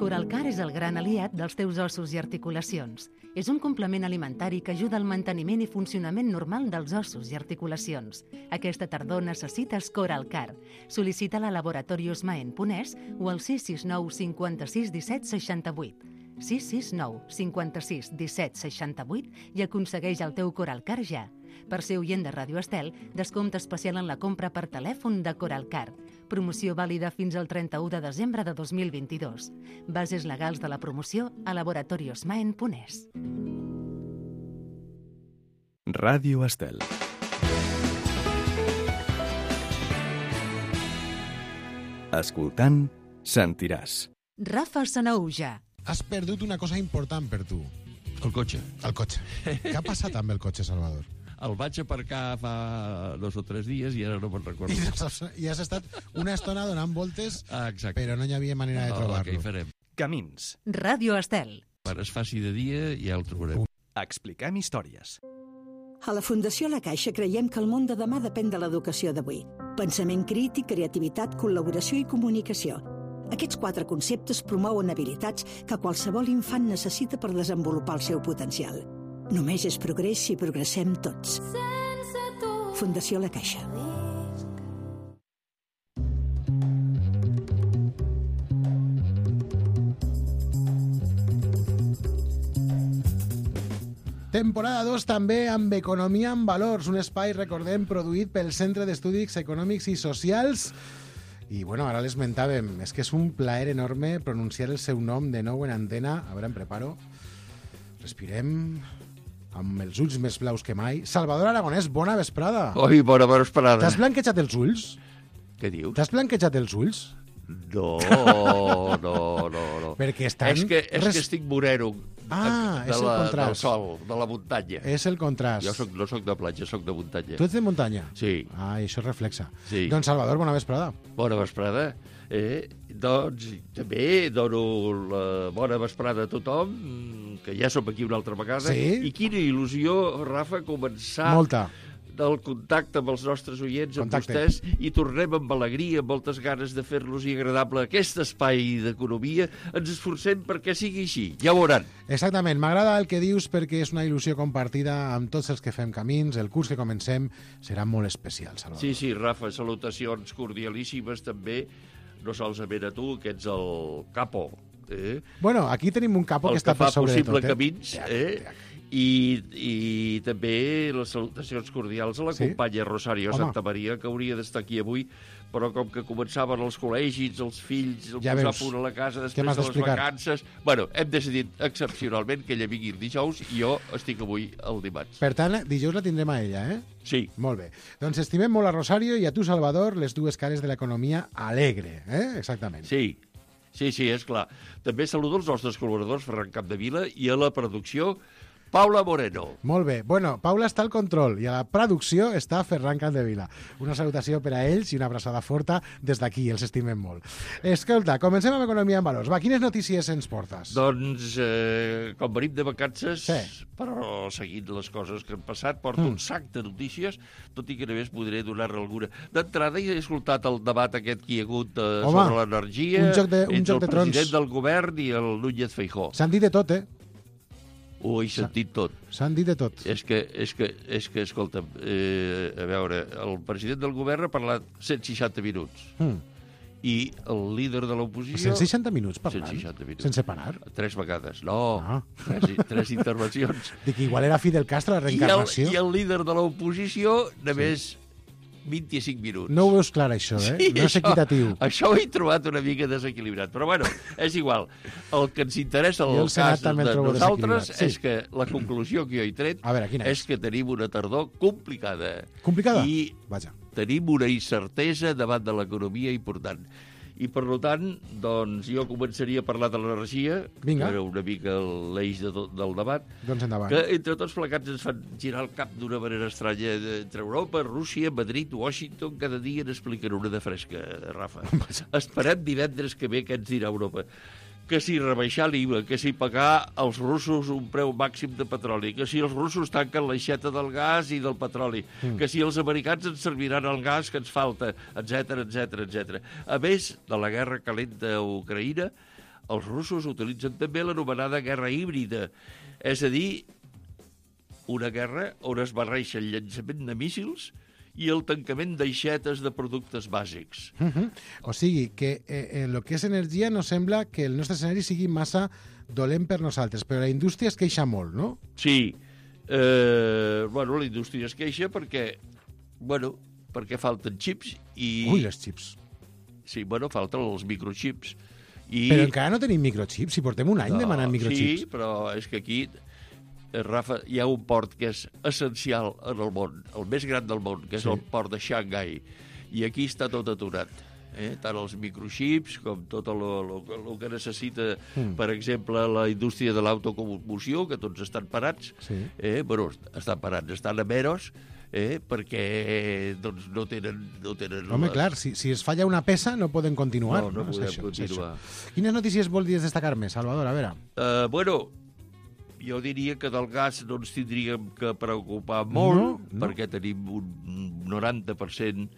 Speaker 4: Coralcar és el gran aliat dels teus ossos i articulacions. És un complement alimentari que ajuda al manteniment i funcionament normal dels ossos i articulacions. Aquesta tardor necessites Coralcar. Sol·licita-la a Laboratorios Maen Ponès o al 669 56 17 68. 669 56 17 68 i aconsegueix el teu Coralcar ja. Per ser oient de Ràdio Estel, descompte especial en la compra per telèfon de Coralcar. Promoció vàlida fins al 31 de desembre de 2022. Bases legals de la promoció a Laboratorios Maen Ponès.
Speaker 1: Ràdio Estel. Escoltant, sentiràs.
Speaker 4: Rafa Sanaüja.
Speaker 2: Has perdut una cosa important per tu.
Speaker 8: El cotxe.
Speaker 2: El cotxe. Què ha passat amb el cotxe, Salvador?
Speaker 8: El vaig aparcar fa 2 o 3 dies i ara no me'n recordo.
Speaker 2: I has estat una estona donant voltes,
Speaker 8: Exacte.
Speaker 2: però no hi havia manera de trobar-lo.
Speaker 8: Què hi farem?
Speaker 1: Camins.
Speaker 4: Ràdio Estel.
Speaker 8: Quan es faci de dia ja el trobarem.
Speaker 1: Expliquem històries.
Speaker 9: A la Fundació La Caixa creiem que el món de demà depèn de l'educació d'avui. Pensament crític, creativitat, col·laboració i comunicació. Aquests 4 conceptes promouen habilitats que qualsevol infant necessita per desenvolupar el seu potencial. Només és progrés si progressem tots. Fundació La Caixa.
Speaker 2: Temporada 2 també amb Economia en Valors, un espai, recordem, produït pel Centre d'Estudis Econòmics i Socials. I, bueno, ara l'esmentàvem, és que és un plaer enorme pronunciar el seu nom de nou en antena. A veure, em preparo. Respirem amb els ulls més blaus que mai. Salvador Aragonès, bona vesprada.
Speaker 10: Oi, bona vesprada.
Speaker 2: T'has blanquejat els ulls?
Speaker 10: Què dius?
Speaker 2: T'has blanquejat els ulls?
Speaker 10: No.
Speaker 2: Perquè estan...
Speaker 10: És que estic moreno.
Speaker 2: És el contrast.
Speaker 10: Del sol, de la muntanya.
Speaker 2: És el contrast.
Speaker 10: Jo no soc de platja, soc de muntanya.
Speaker 2: Tu ets de muntanya?
Speaker 10: Sí.
Speaker 2: Això reflexa.
Speaker 10: Sí.
Speaker 2: Doncs, Salvador, bona vesprada.
Speaker 10: Bona vesprada. Doncs també dono la bona vesprada a tothom, que ja som aquí una altra vegada.
Speaker 2: Sí?
Speaker 10: I quina il·lusió, Rafa, començar...
Speaker 2: Molta.
Speaker 10: Del contacte amb els nostres oients, amb vostès, i tornem amb alegria, amb moltes ganes de fer-los agradable aquest espai d'economia. Ens esforcem perquè sigui així, ja ho veuran.
Speaker 2: Exactament, m'agrada el que dius perquè és una il·lusió compartida amb tots els que fem camins. El curs que comencem serà molt especial, Salvador.
Speaker 10: Sí, Rafa, salutacions cordialíssimes també, no solament a tu, que ets el capo.
Speaker 2: Bueno, aquí tenim un capo que està per sobre de tot.
Speaker 10: El que fa possible camins, I també les salutacions cordials a la companya Rosario Santamaria, que hauria d'estar aquí avui, però com que començaven els col·legis, els fills, el posar a punt a la casa després de les vacances... Bueno, hem decidit excepcionalment que ella vingui el dijous i jo estic avui el dimarts.
Speaker 2: Per tant, dijous la tindrem a ella, eh?
Speaker 10: Sí.
Speaker 2: Molt bé. Doncs estimem molt a Rosario i a tu, Salvador, les dues cares de l'economia alegre, eh? Exactament.
Speaker 10: Sí, és clar. També saludo els nostres col·laboradors, Ferran Capdevila, i a la producció, Paula Moreno.
Speaker 2: Molt bé. Bueno, Paula està al control i a la producció està Ferran Capdevila. Una salutació per a ells i una abraçada forta des d'aquí, els estimem molt. Escolta, comencem amb Economia en Valors. Va, quines notícies ens portes?
Speaker 10: Doncs, com venim de vacances, però seguint les coses que han passat, porto un sac de notícies, tot i que només podré donar-ne alguna. D'entrada he escoltat el debat aquest que hi ha hagut sobre l'energia entre el president del govern i el Núñez Feijóo.
Speaker 2: S'han dit de tot,
Speaker 10: He sentit tot.
Speaker 2: S'han dit de tot.
Speaker 10: És que escolta'm, a veure, el president del govern ha parlat 160 minuts. I el líder de l'oposició...
Speaker 2: 160 minuts parlant?
Speaker 10: 160 minuts.
Speaker 2: Sense parar?
Speaker 10: 3 vegades. No, 3 intervencions.
Speaker 2: Dic, igual era Fidel Castro, la reencarnació.
Speaker 10: I el líder de l'oposició, només 25 minuts.
Speaker 2: No ho veus clar, això, eh? Sí, no és equitatiu.
Speaker 10: Això ho he trobat una mica desequilibrat. Però, bueno, és igual. El que ens interessa en el cas de nosaltres és que la conclusió que jo he tret és que tenim una tardor complicada.
Speaker 2: Complicada?
Speaker 10: I tenim una incertesa davant de l'economia important. I, per tant, doncs, jo començaria a parlar de l'energia, que era una mica l'eix del debat, que entre tots plegats ens fan girar el cap d'una manera estranya entre Europa, Rússia, Madrid, Washington, cada dia n'expliquen una de fresca, Rafa. Esperem divendres que ve què ens dirà Europa. que si rebaixar l'IVA, que si pagar als russos un preu màxim de petroli, que si els russos tanquen l'aixeta del gas i del petroli, que si els americans ens serviran el gas que ens falta, etc. A més de la guerra calenta a Ucraïna, els russos utilitzen també l'anomenada guerra híbrida, és a dir, una guerra on es barreja el llançament de míssils i el tancament d'aixetes de productes bàsics.
Speaker 2: O sigui, que en el que és energia no sembla que el nostre escenari sigui massa dolent per nosaltres, però la indústria es queixa molt, no?
Speaker 10: Sí. La indústria es queixa perquè falten xips i...
Speaker 2: Ui, les xips.
Speaker 10: Sí, falten els microxips.
Speaker 2: Però encara no tenim microxips, si portem un any demanant microxips.
Speaker 10: Sí, però és que aquí... Rafa, hi ha un port que és essencial en el món, el més gran del món, que és el port de Xangai, i aquí està tot aturat. Tant els microxips com tot el que necessita, per exemple, la indústria de l'autocomoció, que tots estan parats. Estan parats, estan a meros, perquè no tenen...
Speaker 2: Home, clar, si es falla una peça no poden continuar.
Speaker 10: No podem continuar.
Speaker 2: Quines notícies voldries destacar més, Salvador? A veure...
Speaker 10: Jo diria que del gas no ens tindríem que preocupar molt, perquè tenim un 90%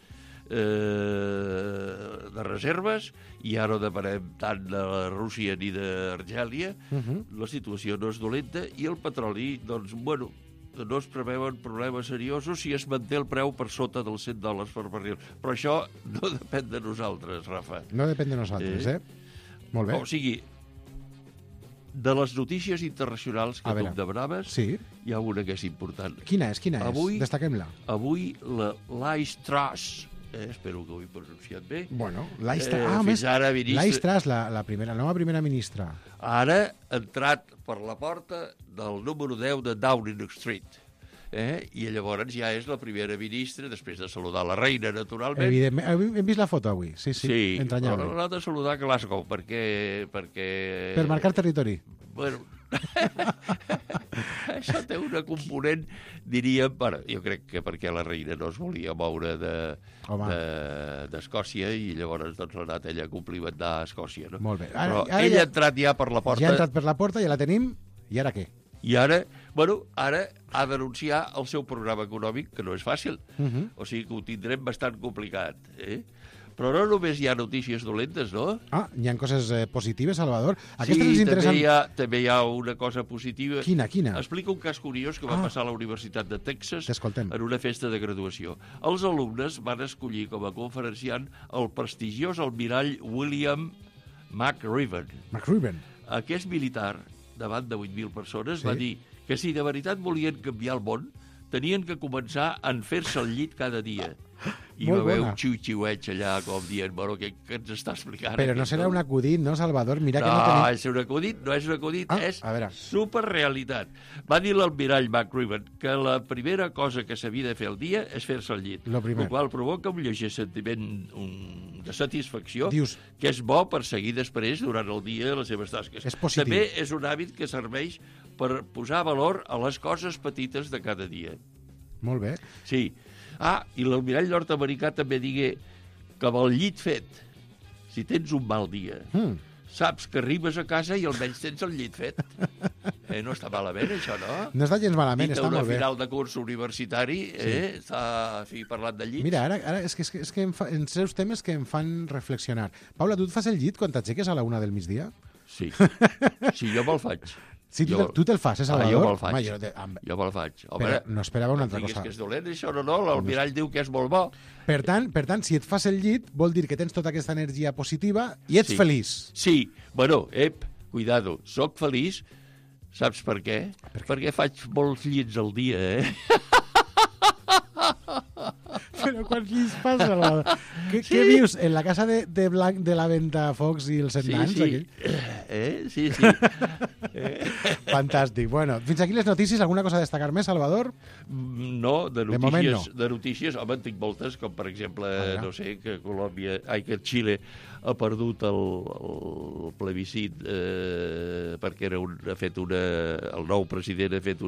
Speaker 10: de reserves i ara no depenem tant de Rússia ni d'Argèlia. La situació no és dolenta i el petroli, doncs, no es preveuen problemes seriosos si es manté el preu per sota dels $100 per barril. Però això no depèn de nosaltres, Rafa.
Speaker 2: No depèn de nosaltres, Molt bé.
Speaker 10: O sigui, de les notícies internacionals que tu em demanaves, hi ha una que és important.
Speaker 2: Quina és? Destaquem-la.
Speaker 10: Avui la Liz Truss, espero que ho he pronunciat bé.
Speaker 2: Liz Truss, la nova primera ministra.
Speaker 10: Ara ha entrat per la porta del número 10 de Downing Street. I llavors ja és la primera ministra, després de saludar la reina, naturalment.
Speaker 2: Evidentment, hem vist la foto avui, sí, entranyable.
Speaker 10: Però l'ha de saludar a Glasgow, perquè...
Speaker 2: Per marcar territori.
Speaker 10: Això té una component, diríem, jo crec que perquè la reina no es volia moure d'Escòcia i llavors l'ha anat ella a complimentar a Escòcia.
Speaker 2: Molt bé.
Speaker 10: Però ella ha entrat ja per la porta.
Speaker 2: Ja ha entrat per la porta, ja la tenim, i ara què?
Speaker 10: I ara ha d'anunciar el seu programa econòmic, que no és fàcil. O sigui que ho tindrem bastant complicat. Però no només hi ha notícies dolentes, no?
Speaker 2: Hi ha coses positives, Salvador.
Speaker 10: També hi ha una cosa positiva.
Speaker 2: Quina?
Speaker 10: Explica un cas curiós que va passar a la Universitat de Texas en una festa de graduació. Els alumnes van escollir com a conferenciant el prestigiós almirall William McRiven. Aquest militar, davant de 8.000 persones, va dir que si de veritat volien canviar el món, tenien que començar a fer-se el llit cada dia. I va haver un xiu-xiueig allà, com dient, què ens està explicant?
Speaker 2: Però no serà un acudit, no, Salvador? Mira que
Speaker 10: no és un acudit, és superrealitat. Va dir l'almirall McRiven que la primera cosa que s'havia de fer al dia és fer-se el llit, el qual provoca un lleuger sentiment de satisfacció, que és bo per seguir després, durant el dia, les seves tasques. També és un hàbit que serveix per posar valor a les coses petites de cada dia.
Speaker 2: Molt bé.
Speaker 10: Sí. I l'almirall nord-americà també digué que amb el llit fet, si tens un mal dia, saps que arribes a casa i almenys tens el llit fet. No està malament, això, no?
Speaker 2: No està gens malament, està molt bé.
Speaker 10: Una final de curs universitari, està parlant de llits.
Speaker 2: Mira, ara és que en seus temes que em fan reflexionar. Paula, tu et fas el llit quan t'aixeques a la 1 del migdia?
Speaker 10: Sí. Sí, jo me'l faig.
Speaker 2: Sí, tu te'l fas, Salvador?
Speaker 10: Jo me'l faig. Jo me'l faig.
Speaker 2: Però no esperava una altra cosa.
Speaker 10: Que és dolent, això, no? L'almirall diu que és molt bo.
Speaker 2: Per tant, si et fas el llit, vol dir que tens tota aquesta energia positiva i ets feliç.
Speaker 10: Sí. Cuidado, soc feliç. Saps per què? Perquè faig molts llits al dia,
Speaker 2: Però quants llits fas, Salvador? Què vius? En la casa de la Ventafocs i els Nans?
Speaker 10: Sí.
Speaker 2: Fantàstic. Bueno, fins aquí les notícies. Alguna cosa a destacar més, Salvador?
Speaker 10: No, de notícies. Home, en tinc moltes, com per exemple, no sé, que Xile ha perdut el plebiscit perquè el nou president ha fet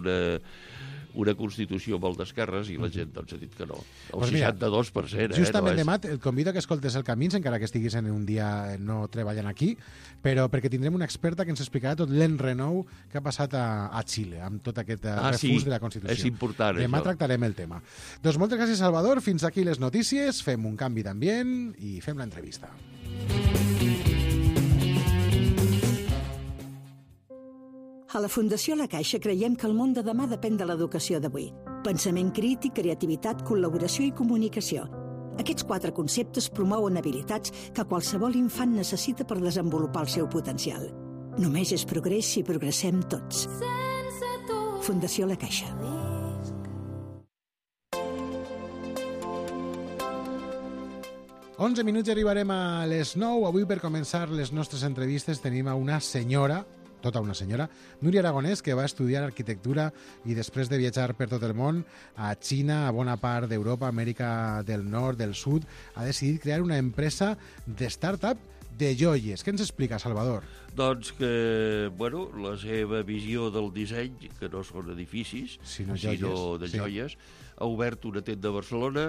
Speaker 10: una Constitució molt d'esquerres i la gent doncs, ha dit que no. El 62%.
Speaker 2: Justament demà et convido que escoltes el Camins, encara que estiguis en un dia no treballant aquí, però perquè tindrem una experta que ens explicarà tot l'enrenou que ha passat a Xile, amb tot aquest refús de la Constitució.
Speaker 10: És important,
Speaker 2: demà
Speaker 10: això.
Speaker 2: tractarem el tema. Doncs moltes gràcies, Salvador. Fins aquí les notícies. Fem un canvi d'ambient i fem l'entrevista.
Speaker 9: A la Fundació La Caixa creiem que el món de demà depèn de l'educació d'avui. Pensament crític, creativitat, col·laboració i comunicació. Aquests 4 conceptes promouen habilitats que qualsevol infant necessita per desenvolupar el seu potencial. Només és progrés si progressem tots. Fundació La Caixa.
Speaker 2: Onze minuts i arribarem a les 9. Avui, per començar les nostres entrevistes, tenim a una senyora, tota una senyora, Núria Aragonès, que va estudiar arquitectura i després de viatjar per tot el món, a Xina, a bona part d'Europa, Amèrica del Nord, del Sud, ha decidit crear una empresa de start-up de joies. Què ens explica, Salvador?
Speaker 10: Doncs que, bueno, la seva visió del disseny, que no són edificis, sinó de joies, ha obert una tenda a Barcelona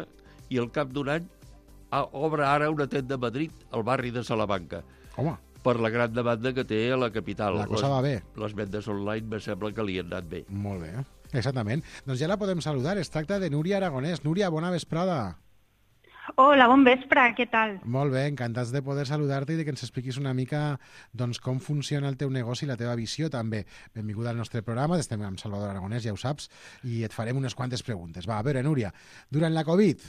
Speaker 10: i al cap d'un any obre ara una tenda a Madrid, al barri de Salamanca.
Speaker 2: Home.
Speaker 10: Per la gran demanda que té a la capital.
Speaker 2: La cosa va bé.
Speaker 10: Les vendes online me sembla que li han anat bé.
Speaker 2: Molt bé, exactament. Doncs ja la podem saludar. Es tracta de Núria Aragonès. Núria, bona vesprada.
Speaker 11: Hola, bon vespre, què tal?
Speaker 2: Molt bé, encantats de poder saludar-te i de que ens expliquis una mica doncs, com funciona el teu negoci i la teva visió també. Benvinguda al nostre programa, estem amb Salvador Aragonès, ja ho saps, i et farem unes quantes preguntes. Va, a veure, Núria, durant la Covid,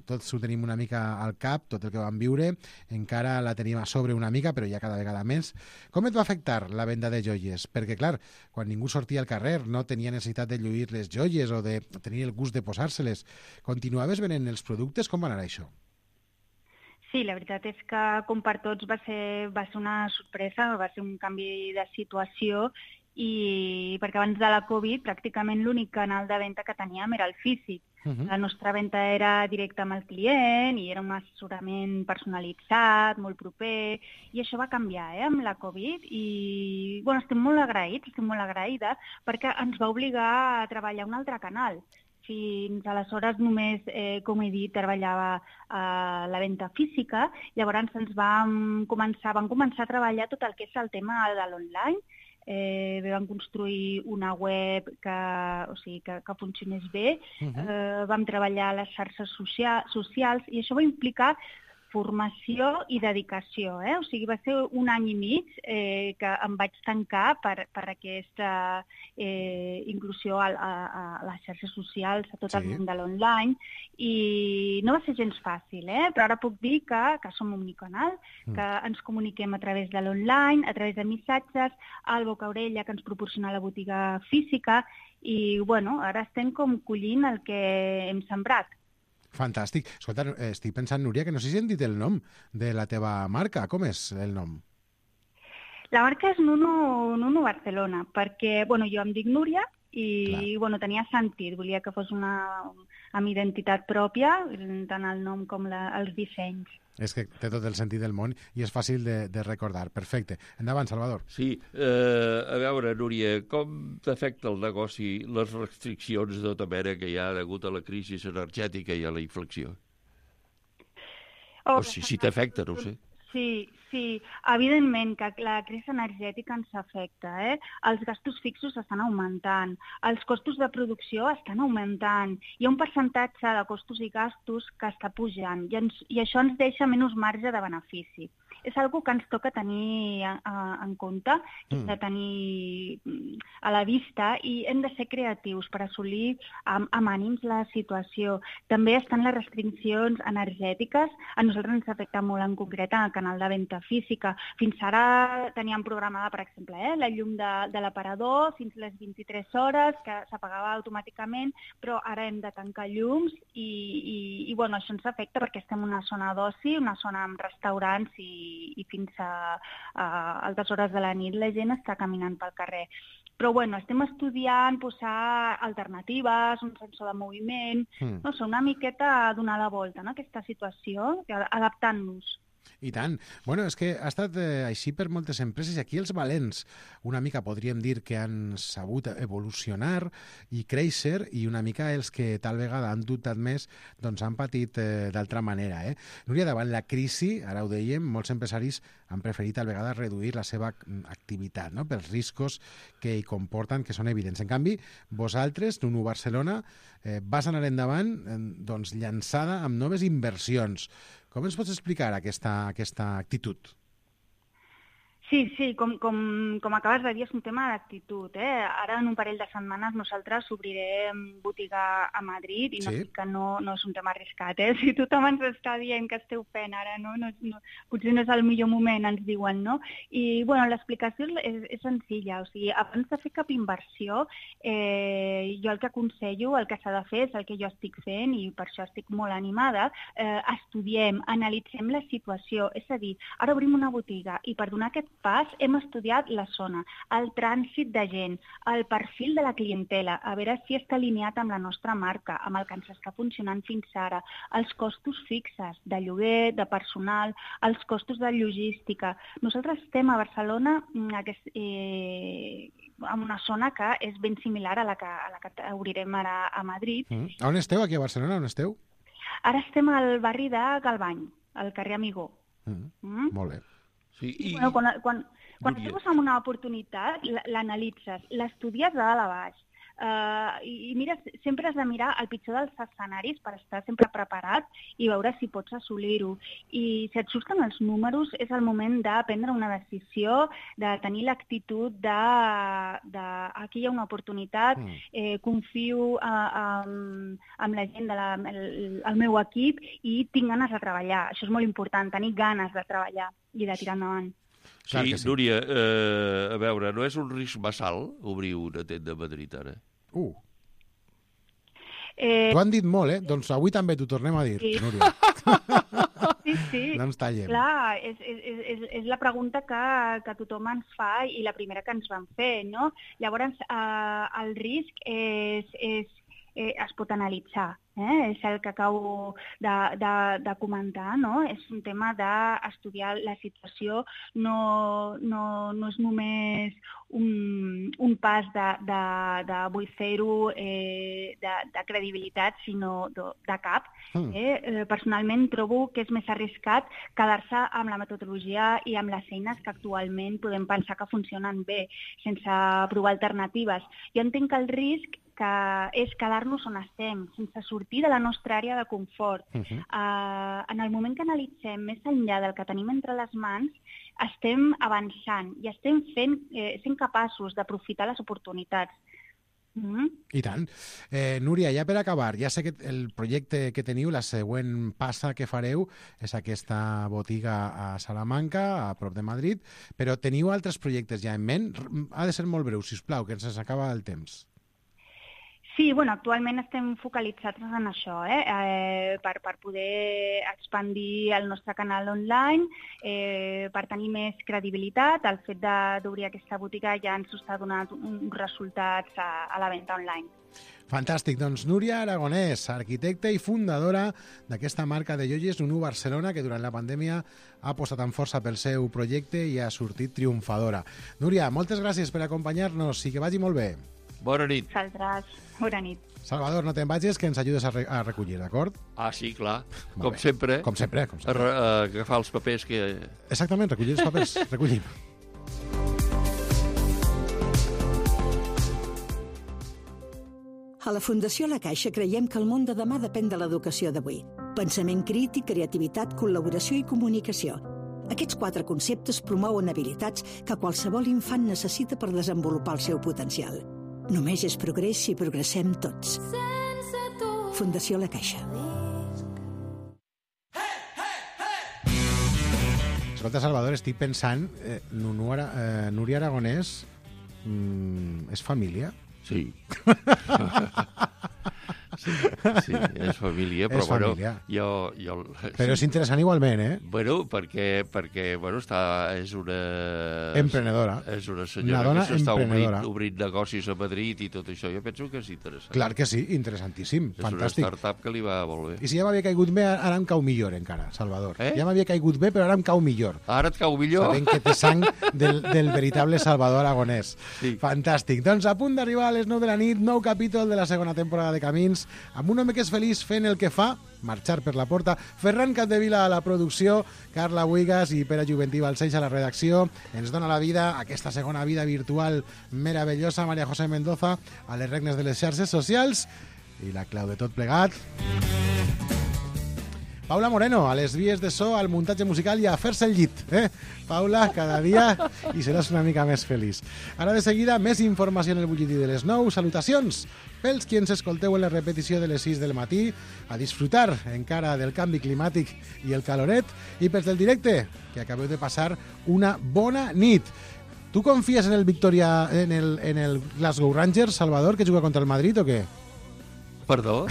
Speaker 2: tots ho tenim una mica al cap, tot el que vam viure, encara la tenim a sobre una mica, però ja cada vegada més. Com et va afectar la venda de joies? Perquè, clar, quan ningú sortia al carrer, no tenia necessitat de lluir les joies o de tenir el gust de posar-se-les. Continuaves venent els productes? Com va anar això?
Speaker 11: Sí, la veritat és que, com per tots, va ser una sorpresa, va ser un canvi de situació, i perquè abans de la Covid pràcticament l'únic canal de venda que teníem era el físic. La nostra venda era directa amb el client i era un assessorament personalitzat, molt proper, i això va canviar amb la Covid i estem molt agraïdes perquè ens va obligar a treballar un altre canal. Fins aleshores només, com he dit, treballava a la venda física, llavors vam començar a treballar tot el que és el tema de l'online. Vam construir una web que funcionés bé, vam treballar a les xarxes socials i això va implicar formació i dedicació. O sigui, va ser un any i mig que em vaig tancar per aquesta inclusió a les xarxes socials, a tot el món de l'online, i no va ser gens fàcil, però ara puc dir que som omnicanal, que ens comuniquem a través de l'online, a través de missatges, al boca-orella que ens proporciona la botiga física, i ara estem com collint el que hem sembrat.
Speaker 2: Fantàstic. Escolta, estic pensant, Núria, que no sé si hem dit el nom de la teva marca. Com és el nom?
Speaker 11: La marca és Nuno Barcelona, perquè jo em dic Núria i tenia sentit. Volia que fos amb identitat pròpia, tant el nom com els dissenys.
Speaker 2: És que té tot el sentit del món i és fàcil de recordar. Perfecte. Endavant, Salvador.
Speaker 10: Sí. A veure, Núria, com t'afecta el negoci les restriccions de tota mena que hi ha hagut a la crisi energètica i a la inflació? O si t'afecta, no ho sé.
Speaker 11: Sí, evidentment que la crisi energètica ens afecta. Els gastos fixos estan augmentant, els costos de producció estan augmentant, hi ha un percentatge de costos i gastos que està pujant i això ens deixa menys marge de benefici. És una cosa que ens toca tenir en compte, que hem de tenir a la vista i hem de ser creatius per assolir amb ànims la situació. També estan les restriccions energètiques. A nosaltres ens afecta molt en concret en el canal de venda física. Fins ara teníem programada, per exemple, la llum de l'aparador fins les 23 hores, que s'apagava automàticament, però ara hem de tancar llums i això ens afecta perquè estem en una zona d'oci, una zona amb restaurants i fins a altes hores de la nit la gent està caminant pel carrer. Però estem estudiant posar alternatives, un sensor de moviment, una miqueta donar la volta a aquesta situació, adaptant-nos.
Speaker 2: I tant. Bueno, és que ha estat així per moltes empreses i aquí els valents una mica podríem dir que han sabut evolucionar i créixer i una mica els que tal vegada han dubtat més doncs han patit d'altra manera. Núria, davant la crisi, ara ho dèiem, molts empresaris han preferit tal vegada reduir la seva activitat, no? Pels riscos que hi comporten, que són evidents. En canvi, vosaltres, Nunu Barcelona, vas anar endavant doncs, llançada amb noves inversions. Com ens pots explicar aquesta actitud?
Speaker 11: Sí, com acabes de dir, és un tema d'actitud. Ara, en un parell de setmanes, nosaltres obrirem botiga a Madrid i no dic que no és un tema arriscat. Si tothom ens està dient que esteu fent ara, potser no és el millor moment, ens diuen, no? I, bueno, l'explicació és senzilla. O sigui, abans de fer cap inversió, jo el que aconsello, el que s'ha de fer és el que jo estic fent i per això estic molt animada. Estudiem, analitzem la situació. És a dir, ara obrim una botiga i per donar aquest pas hem estudiat la zona, el trànsit de gent, el perfil de la clientela, a veure si està alineat amb la nostra marca, amb el que ens està funcionant fins ara, els costos fixes de lloguer, de personal, els costos de logística. Nosaltres estem a Barcelona en una zona que és ben similar a la que obrirem ara a Madrid.
Speaker 2: On esteu, aquí a Barcelona? On esteu?
Speaker 11: Ara estem al barri de Galvany, al carrer Amigó.
Speaker 2: Molt bé.
Speaker 10: Sí,
Speaker 11: bueno, quan trobes amb una oportunitat, l'analitzes, l'estudies de dalt a baix. I mira, sempre has de mirar el pitjor dels escenaris per estar sempre preparat i veure si pots assolir-ho. I si et surten els números, és el moment de prendre una decisió, de tenir l'actitud de aquí hi ha una oportunitat, confio en la gent del meu equip i tinc ganes de treballar. Això és molt important, tenir ganes de treballar i de tirar endavant.
Speaker 10: Sí, Núria, a veure, no és un risc massa alt obrir una tenda a Madrid ara?
Speaker 2: T'ho han dit molt, Doncs avui també t'ho tornem a dir, Núria.
Speaker 11: Sí.
Speaker 2: No ens tallem.
Speaker 11: Clar, és la pregunta que tothom ens fa i la primera que ens van fer, no? Llavors, el risc es pot analitzar. És el que acabo de comentar, no? És un tema d'estudiar la situació, no és només un pas de vull fer-ho de credibilitat, sinó de cap. Personalment trobo que és més arriscat quedar-se amb la metodologia i amb les eines que actualment podem pensar que funcionen bé, sense provar alternatives. Jo entenc que el risc és quedar-nos on estem, sense sortir de la nostra àrea de confort. En el moment que analitzem més enllà del que tenim entre les mans, estem avançant i estem sent capaços d'aprofitar les oportunitats.
Speaker 2: I tant. Núria, ja per acabar, ja sé que el projecte que teniu, la següent passa que fareu és aquesta botiga a Salamanca, a prop de Madrid, però teniu altres projectes ja en ment? Ha de ser molt breu, sisplau, que ens acaba el temps.
Speaker 11: Sí, actualment estem focalitzats en això, per poder expandir el nostre canal online, per tenir més credibilitat. El fet d'obrir aquesta botiga ja ens està donant uns resultats a la venda online.
Speaker 2: Fantàstic, doncs Núria Aragonès, arquitecta i fundadora d'aquesta marca de joies Nunu Barcelona, que durant la pandèmia ha apostat amb força pel seu projecte i ha sortit triomfadora. Núria, moltes gràcies per acompanyar-nos i que vagi molt bé.
Speaker 10: Bona nit.
Speaker 11: Vosaltres, bona nit.
Speaker 2: Salvador, no te'n vagis, que ens ajudes a recollir, d'acord?
Speaker 10: Ah, sí, clar. Com sempre.
Speaker 2: Com sempre.
Speaker 10: Agafar els papers que...
Speaker 2: Exactament, recollir els papers. Recollim.
Speaker 9: A la Fundació La Caixa creiem que el món de demà depèn de l'educació d'avui. Pensament crític, creativitat, col·laboració i comunicació. Aquests 4 conceptes promouen habilitats que qualsevol infant necessita per desenvolupar el seu potencial. Només és progrés si progressem tots. Fundació La Caixa.
Speaker 2: Escolta, Salvador, estic pensant, Núria Aragonès és família?
Speaker 10: Sí. Sí, és família, però
Speaker 2: És família.
Speaker 10: jo...
Speaker 2: Però és interessant igualment, eh?
Speaker 10: Bueno, perquè és una...
Speaker 2: Emprenedora.
Speaker 10: És una
Speaker 2: Una
Speaker 10: senyora
Speaker 2: dona
Speaker 10: que s'està
Speaker 2: emprenedora.
Speaker 10: obrint negocis a Madrid i tot això. Jo penso que és interessant.
Speaker 2: Clar que sí, interessantíssim,
Speaker 10: És
Speaker 2: fantàstic.
Speaker 10: una startup que li va molt bé.
Speaker 2: I si ja m'havia caigut bé, ara em cau millor encara, Salvador. Ja m'havia caigut bé, però ara em cau millor.
Speaker 10: Ara et cau millor?
Speaker 2: Sabent que té sang del veritable Salvador Aragonès.
Speaker 10: Sí.
Speaker 2: Fantàstic. Doncs a punt d'arribar a les 9 de la nit, nou capítol de la segona temporada de Camins, amb un home que és feliç fent el que fa, marxar per la porta, Ferran Capdevila a la producció, Carla Buigas i Pere Juventí Balcells a la redacció. Ens dona la vida, aquesta segona vida virtual meravellosa, Maria José Mendoza, a les regnes de les xarxes socials, i la clau de tot plegat... Paula Moreno, a les vies de so, al muntatge musical i a fer-se el llit. Paula, cada dia i seràs una mica més feliç. Ara de seguida, més informació en el butlletí de les 9. Salutacions pels qui ens escolteu en la repetició de les 6 del matí, a disfrutar encara del canvi climàtic i el caloret, i pels del directe, que acabeu de passar una bona nit. Tu confies en el Victoria, en el Glasgow Rangers, Salvador, que juga contra el Madrid o què?
Speaker 10: Perdó?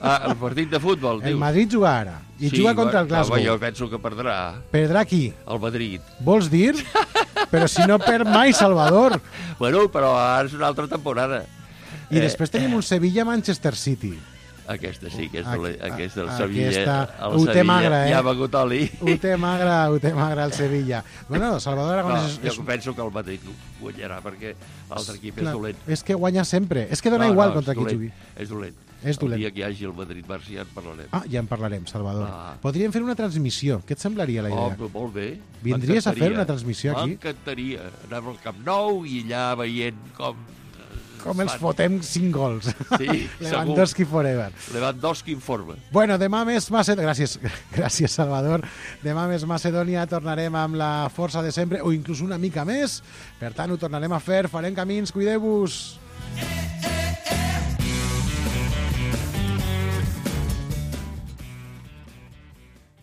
Speaker 10: El partit de futbol, dius?
Speaker 2: El Madrid juga ara, i juga contra el Glasgow.
Speaker 10: Jo penso que perdrà.
Speaker 2: Perdrà qui?
Speaker 10: El Madrid.
Speaker 2: Vols dir? Però si no perd mai, Salvador.
Speaker 10: Bueno, però ara és una altra temporada.
Speaker 2: I després tenim un Sevilla-Manchester City.
Speaker 10: Aquesta sí, que és del Sevilla.
Speaker 2: Ho té magre,
Speaker 10: ja ha begut oli.
Speaker 2: Ho té magre el Sevilla. Bueno, Salvador Aragonès...
Speaker 10: Jo penso que el Madrid guanyarà, perquè l'altre equip és dolent.
Speaker 2: És que guanya sempre. És que dona igual contra qui jugui.
Speaker 10: És dolent.
Speaker 2: És dolent.
Speaker 10: El dia que hi hagi el Madrid-Barça ja en parlarem.
Speaker 2: Ja en parlarem, Salvador. Podríem fer una transmissió. Què et semblaria la idea?
Speaker 10: Molt bé.
Speaker 2: Vindries a fer una transmissió aquí?
Speaker 10: M'encantaria. Anar al Camp Nou i allà veient com
Speaker 2: ens fotem 5 gols.
Speaker 10: Sí,
Speaker 2: Lewandowski forever.
Speaker 10: Lewandowski en forma.
Speaker 2: Bueno, demà més Macedònia. Gràcies, Salvador. Demà més Macedònia, tornarem amb la força de sempre, o inclús una mica més. Per tant, ho tornarem a fer. Farem camins, cuideu-vos.